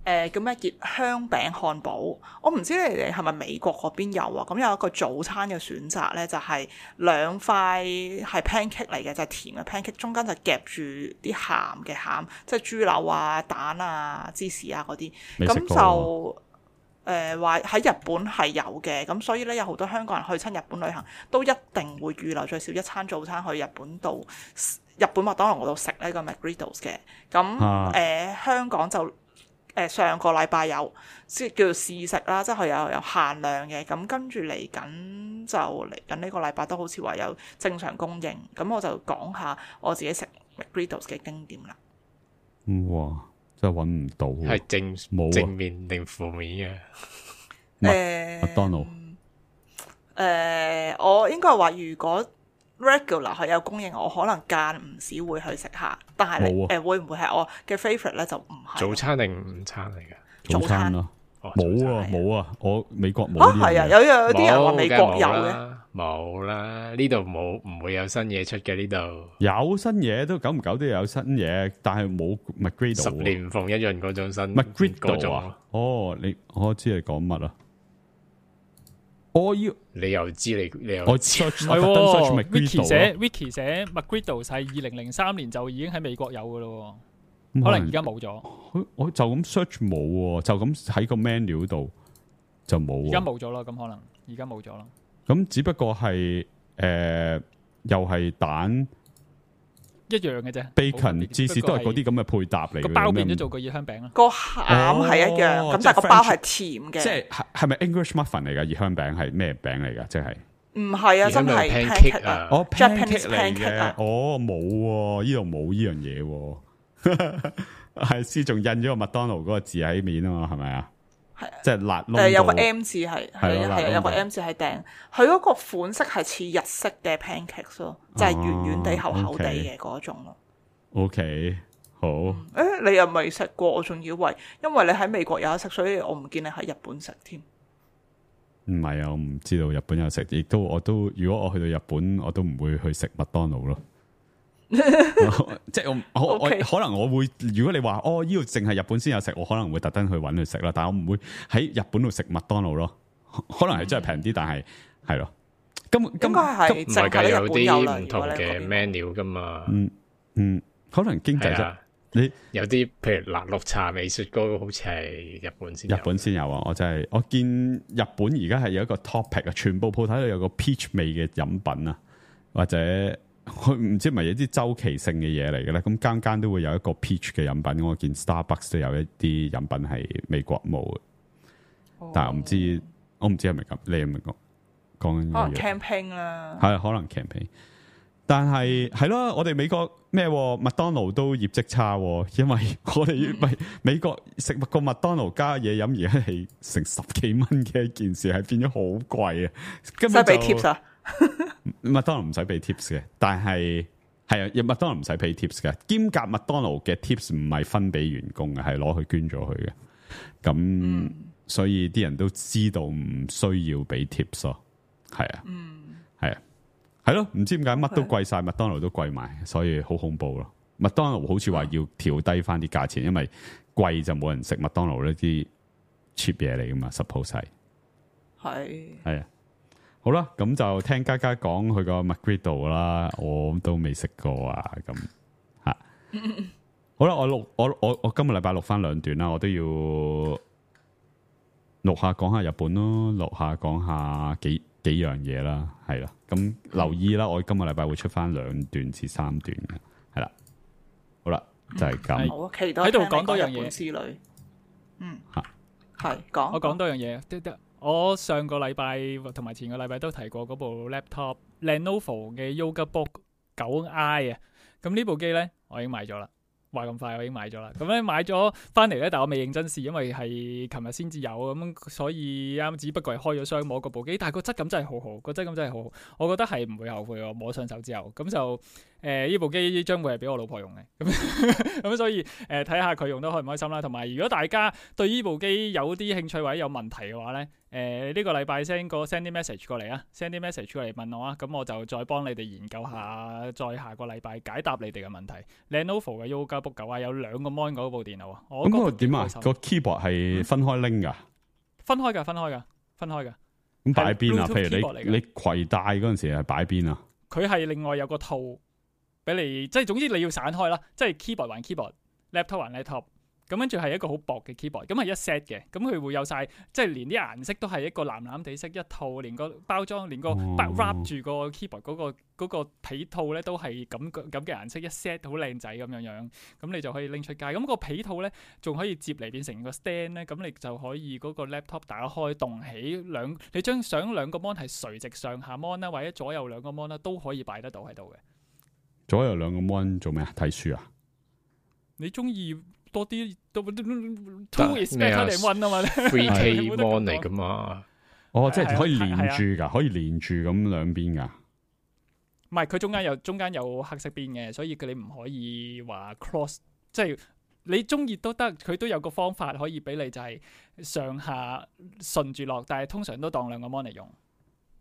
誒、呃、叫咩？熱香餅漢堡，我唔知你哋係咪美國嗰邊有啊？咁有一個早餐嘅選擇咧，就係、是、兩塊係 pancake 嚟嘅，就係、是、甜嘅 pancake，中間就夾住啲鹹嘅餡，即係豬柳啊、蛋啊、芝士啊嗰啲。咁就誒話喺日本係有嘅，咁所以咧有好多香港人去親日本旅行，都一定會預留最少一餐早餐去日本度日本麥當勞嗰度食呢個 McGriddles 嘅。咁誒、啊呃、香港就。誒上個禮拜有即係叫做試食啦，即係佢有有限量嘅，咁跟住嚟緊就嚟緊呢個禮拜都好似話有正常供應，咁我就講下我自己食 McGriddles 嘅經驗啦。哇！真係揾唔到，係正冇正面定負面嘅？誒麥當勞誒，我應該話如果 regular 係有供應，我可能間唔時會去食下，但係誒、啊呃、會唔會係我嘅 favourite 咧就唔係。早餐定午餐嚟嘅？早餐咯，冇啊冇啊，我美國冇。啊係啊，有有啲人話美國有嘅，冇啦，呢度冇，唔會有新嘢出嘅呢度。有新嘢都久唔久都有新嘢，但係冇 McGriddle。十年逢一潤嗰種新 McGriddle 啊！哦，你我知你講乜啊？我要你又知你你又我 search 我特登 search Wiki 寫 Wiki 寫 McGriddle 係二零零三年就已經喺美國有噶咯，可能而家冇咗。我就咁 search 冇，就咁喺個 menu 度就冇。而家冇咗啦，咁可能而家冇咗啦。咁只不過係誒、呃，又係蛋一樣嘅啫 ，bacon 芝士都係嗰啲咁嘅配搭嚟嘅。個包變咗做個熱香餅啦，個餡係一樣，咁、哦、但係個包係甜嘅。即係係咪 English muffin 嚟㗎？熱香餅係咩餅嚟㗎？即係唔係啊，真係 pancake 啊，哦 pancake 嚟嘅，哦冇喎，呢度冇呢樣嘢，係先仲印咗個麥當勞嗰個字喺面啊嘛，係咪啊？係即係辣窿，誒有個 M 字係係係有個 M 字係訂，佢嗰個款式係似日式嘅 pancakes 咯，就係圓圓地厚厚地嘅嗰種咯。OK，好。誒、欸，你又未食過？我仲以為因為你喺美國有得食，所以我唔見你喺日本食添。唔係啊，我唔知道日本有食，亦都我都如果我去到日本，我都唔會去食麥當勞咯。即係我我我 Okay. 可能我會，如果你話哦呢度淨係日本先有食，我可能會特登去揾佢食啦。但係我唔會喺日本度食麥當勞咯。可能係真係平啲，但係係咯。根本根應該係唔係㗎，有淨係喺日本有啦。啲唔同嘅如果你 menu 㗎嘛。嗯嗯，可能經濟啫。係啊，你有啲譬如嗱綠茶味雪糕，好似係日本先有。日本先有啊！我真係我見日本而家係有一個 topic 啊，全部鋪頭都有個 peach 味嘅飲品啊，或者佢唔知係咪有啲周期性嘅嘢嚟嘅咧？咁間間都會有一個 peach 嘅飲品。我見 Starbucks 都有一啲飲品係美國冇嘅，哦但係我唔知我唔知係咪咁，你係咪講講緊可能呢樣嘢？ campaign 啦，係可能 campaign，但係係咯，我哋美國咩麥當勞都業績差，因為我哋咪美國食個麥當勞加嘢飲而家係成十幾蚊嘅一件事，係變咗好貴啊！根使本就俾 tips 啊！麥當勞唔使俾 tips 嘅，但係係啊，麥當勞唔使俾 tips 嘅，兼夾麥當勞嘅 tips 唔係分俾員工嘅，係攞去捐咗佢嘅。咁、嗯、所以啲人都知道唔需要俾 tips 咯，係啊，係啊。係咯，唔知點解乜都貴晒，麥當勞都貴埋，所以好恐怖咯。麥當勞好似話要調低翻啲價錢，因為貴就冇人食麥當勞呢啲 cheap 嘢嚟噶嘛 ，suppose 係係係啊。好啦，咁就聽嘉嘉講佢個 McGriddle 啦，我都未食過啊，咁吓。好啦，我錄我我我今個禮拜錄翻兩段啦，我都要錄下講下日本咯，錄下講下幾幾樣嘢啦，係啦。咁留意啦，我今個禮拜會出翻兩段至三段嘅，係啦。好啦，就係、是、咁。好期待喺度聽你講多樣嘢日本之旅。嗯，嚇係講我講多樣嘢，得得。我上個禮拜同埋前個禮拜都提過嗰部 laptop Lenovo 嘅 YogaBook 九 I 啊。咁呢部機咧，我已經買咗啦。話咁快我已經買咗啦，咁咧買咗翻嚟咧，但我未認真試，因為係琴日先至有咁，所以啱只不過係開咗箱摸嗰部機，但係個質感真係好好，個質感真係好好，我覺得係唔會後悔我摸上手之後，咁就誒呢、呃、部機將會係俾我老婆用嘅，咁咁所以誒睇下佢用得開唔開心啦，同埋如果大家對呢部機有啲興趣或者有問題嘅話咧。誒、呃、呢、這個禮拜 send 個 send 啲 message 過嚟啊 ，send 啲 message 過嚟問我啊，咁我就再幫你哋研究下，再下個禮拜解答你哋嘅問題。Lenovo 嘅 YogaBook 九啊，有兩個 mon 嗰部電腦啊，我咁個點啊？個 keyboard 係分開拎噶，分開噶，分開噶，分開噶。咁擺邊啊？譬如你你攜帶嗰陣時係擺邊啊？佢係另外有個套俾你，即係總之你要散開啦，即係 keyboard 還 keyboard，laptop 還 laptop。咁跟住係一個好薄嘅 keyboard，咁係一 set 嘅，咁佢會有晒，即係連啲顏色都係一個藍藍地色一套，連個包裝，連個 wrap 住個 keyboard 嗰、嗰個嗰、嗰個皮套咧都係咁咁嘅顏色一 set，好靚仔咁樣樣，咁你就可以拎出街。咁個皮套咧仲可以接嚟變成個 stand 咧，咁你就可以嗰個 laptop 打開動起兩，你將想兩個 mon 係垂直上下 mon 啦，或者左右兩個 mon 啦，都可以擺得到喺度嘅。左右兩個 mon 做咩啊？睇書啊？你中意？多啲都 two is better than one 啊嘛，three K mon 嚟噶嘛？哦，即係可以連住噶，可以連住咁兩邊噶。唔係，佢中間有中間有黑色邊嘅，所以佢你唔可以話 cross， 即係你中意都得，佢都有個方法可以俾你就係上下順住落，但係通常都當兩個 mon 嚟用。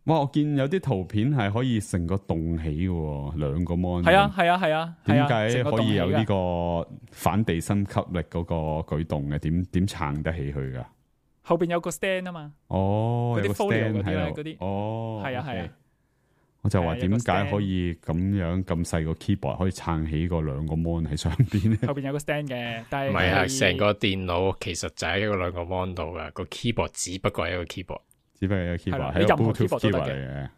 哇！我見有啲圖片係可以成個棟起嘅，兩個 mon。係啊係啊係啊，點解可以有呢個反地心吸力嗰個舉動嘅？點點撐得起佢噶？後邊有個 stand 啊嘛。哦，嗰啲 folio 嗰啲咧，嗰啲哦，係啊係啊。我就話點解可以咁樣咁細個 keyboard 可以撐起個兩個 mon 喺上邊咧？後邊有個 stand 嘅，但係唔係啊，成個電腦其實就喺一個兩個 mon 度噶，個 keyboard 只不過係一個 keyboard。只不過有 keyboard，係任何 Bluetooth keyboard 都得 keyboard 嚟嘅，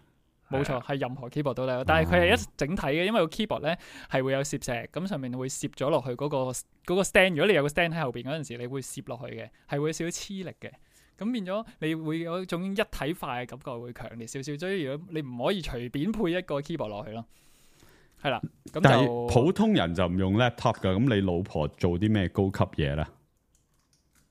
冇錯，係任何 keyboard 都得。但係佢係一整體嘅，因為個 keyboard 咧係會有攝石，咁上面會攝咗落去嗰個嗰個 stand。如果你有個 stand 喺後邊嗰陣時，你會攝落去嘅，係會有少少黐力嘅。咁變咗你會有一種一體化嘅感覺，會強烈少少。所以如果你唔可以隨便配一個 keyboard 落去咯，係啦。咁但係普通人就唔用 laptop 噶。咁你老婆做啲咩高級嘢咧？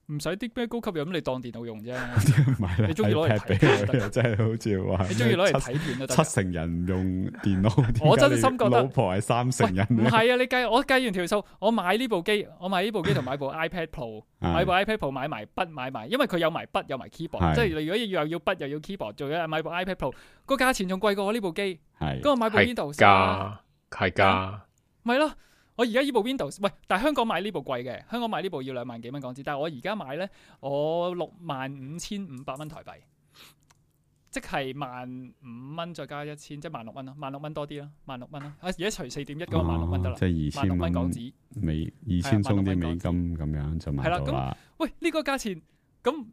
唔使啲咩高級嘢，咁你當電腦用啫。你中意攞嚟睇片都得，真係好似話你中意攞嚟睇片都得。七成人唔用電腦，我真心覺得老婆係三成人。唔係啊，你計我計完條數，我買呢部機，我買呢部機同買部 iPad Pro， 買部 iPad Pro 買埋筆買埋，因為佢有埋筆有埋 keyboard， 即係你如果又要筆又要 keyboard，仲要買部 iPad Pro， 個價錢仲貴過我呢部機。係，咁我買部 Windows 係㗎，係㗎。咪咯。我而家依部 Windows， 喂，但係香港買呢部貴嘅，香港買呢部要兩萬幾蚊港紙，但係我而家買咧，我六萬五千五百蚊台幣，即係萬五蚊再加一千，即係萬六蚊咯，萬六蚊多啲啦，萬六蚊啦。啊，而家除四點一嗰個萬六蚊得啦，即係二千蚊港紙，美二千鬆啲美金咁樣就買到啦。喂，呢、這個價錢咁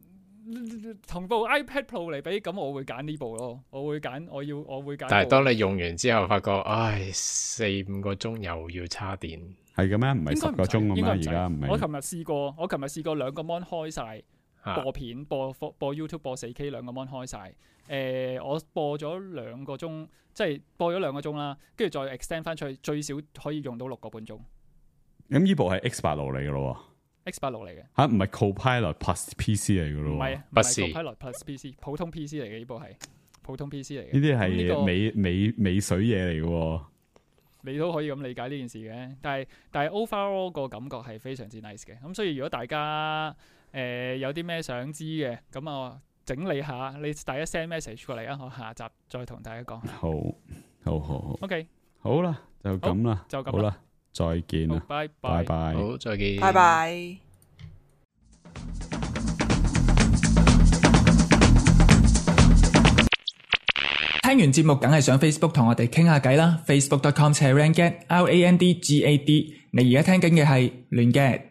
同部 iPad Pro 嚟比，咁我會揀呢部咯，我會揀，我要我會揀。但係當你用完之後，發覺唉，四五個鐘又要叉電，係嘅咩？唔係十個鐘咁咩？而家唔係。我琴日試過，我琴日試過兩個 mon 開晒。播片播播 YouTube 播四 K 兩個 mon 開晒，誒、呃、我播咗兩個鐘，即係播咗兩個鐘啦，跟住再 extend 翻出去，最少可以用到六個半鐘。咁呢部係 X 八六嚟嘅咯，X 八六嚟嘅嚇，唔係 Copilot Plus P C 嚟嘅咯，唔係啊，唔係 Copilot Plus P C， 普通 P C 嚟嘅呢部係普通 P C 嚟嘅。呢啲係美美美水嘢嚟嘅，你都可以咁理解呢件事嘅，但係但係 overall 個感覺係非常之 nice 嘅，咁所以如果大家誒、呃、有啲咩想知嘅，咁我整理下，你第一 send message 過嚟啊，我下集再同大家講。好，好好好。OK，好啦，就咁啦，就咁好啦，再見啦，拜拜拜，好，再見，拜拜。聽完節目梗係上 Facebook 同我哋傾下偈啦 ，facebook dot com slash randgad，R A N D G A D。你而家聽緊嘅係亂 gad。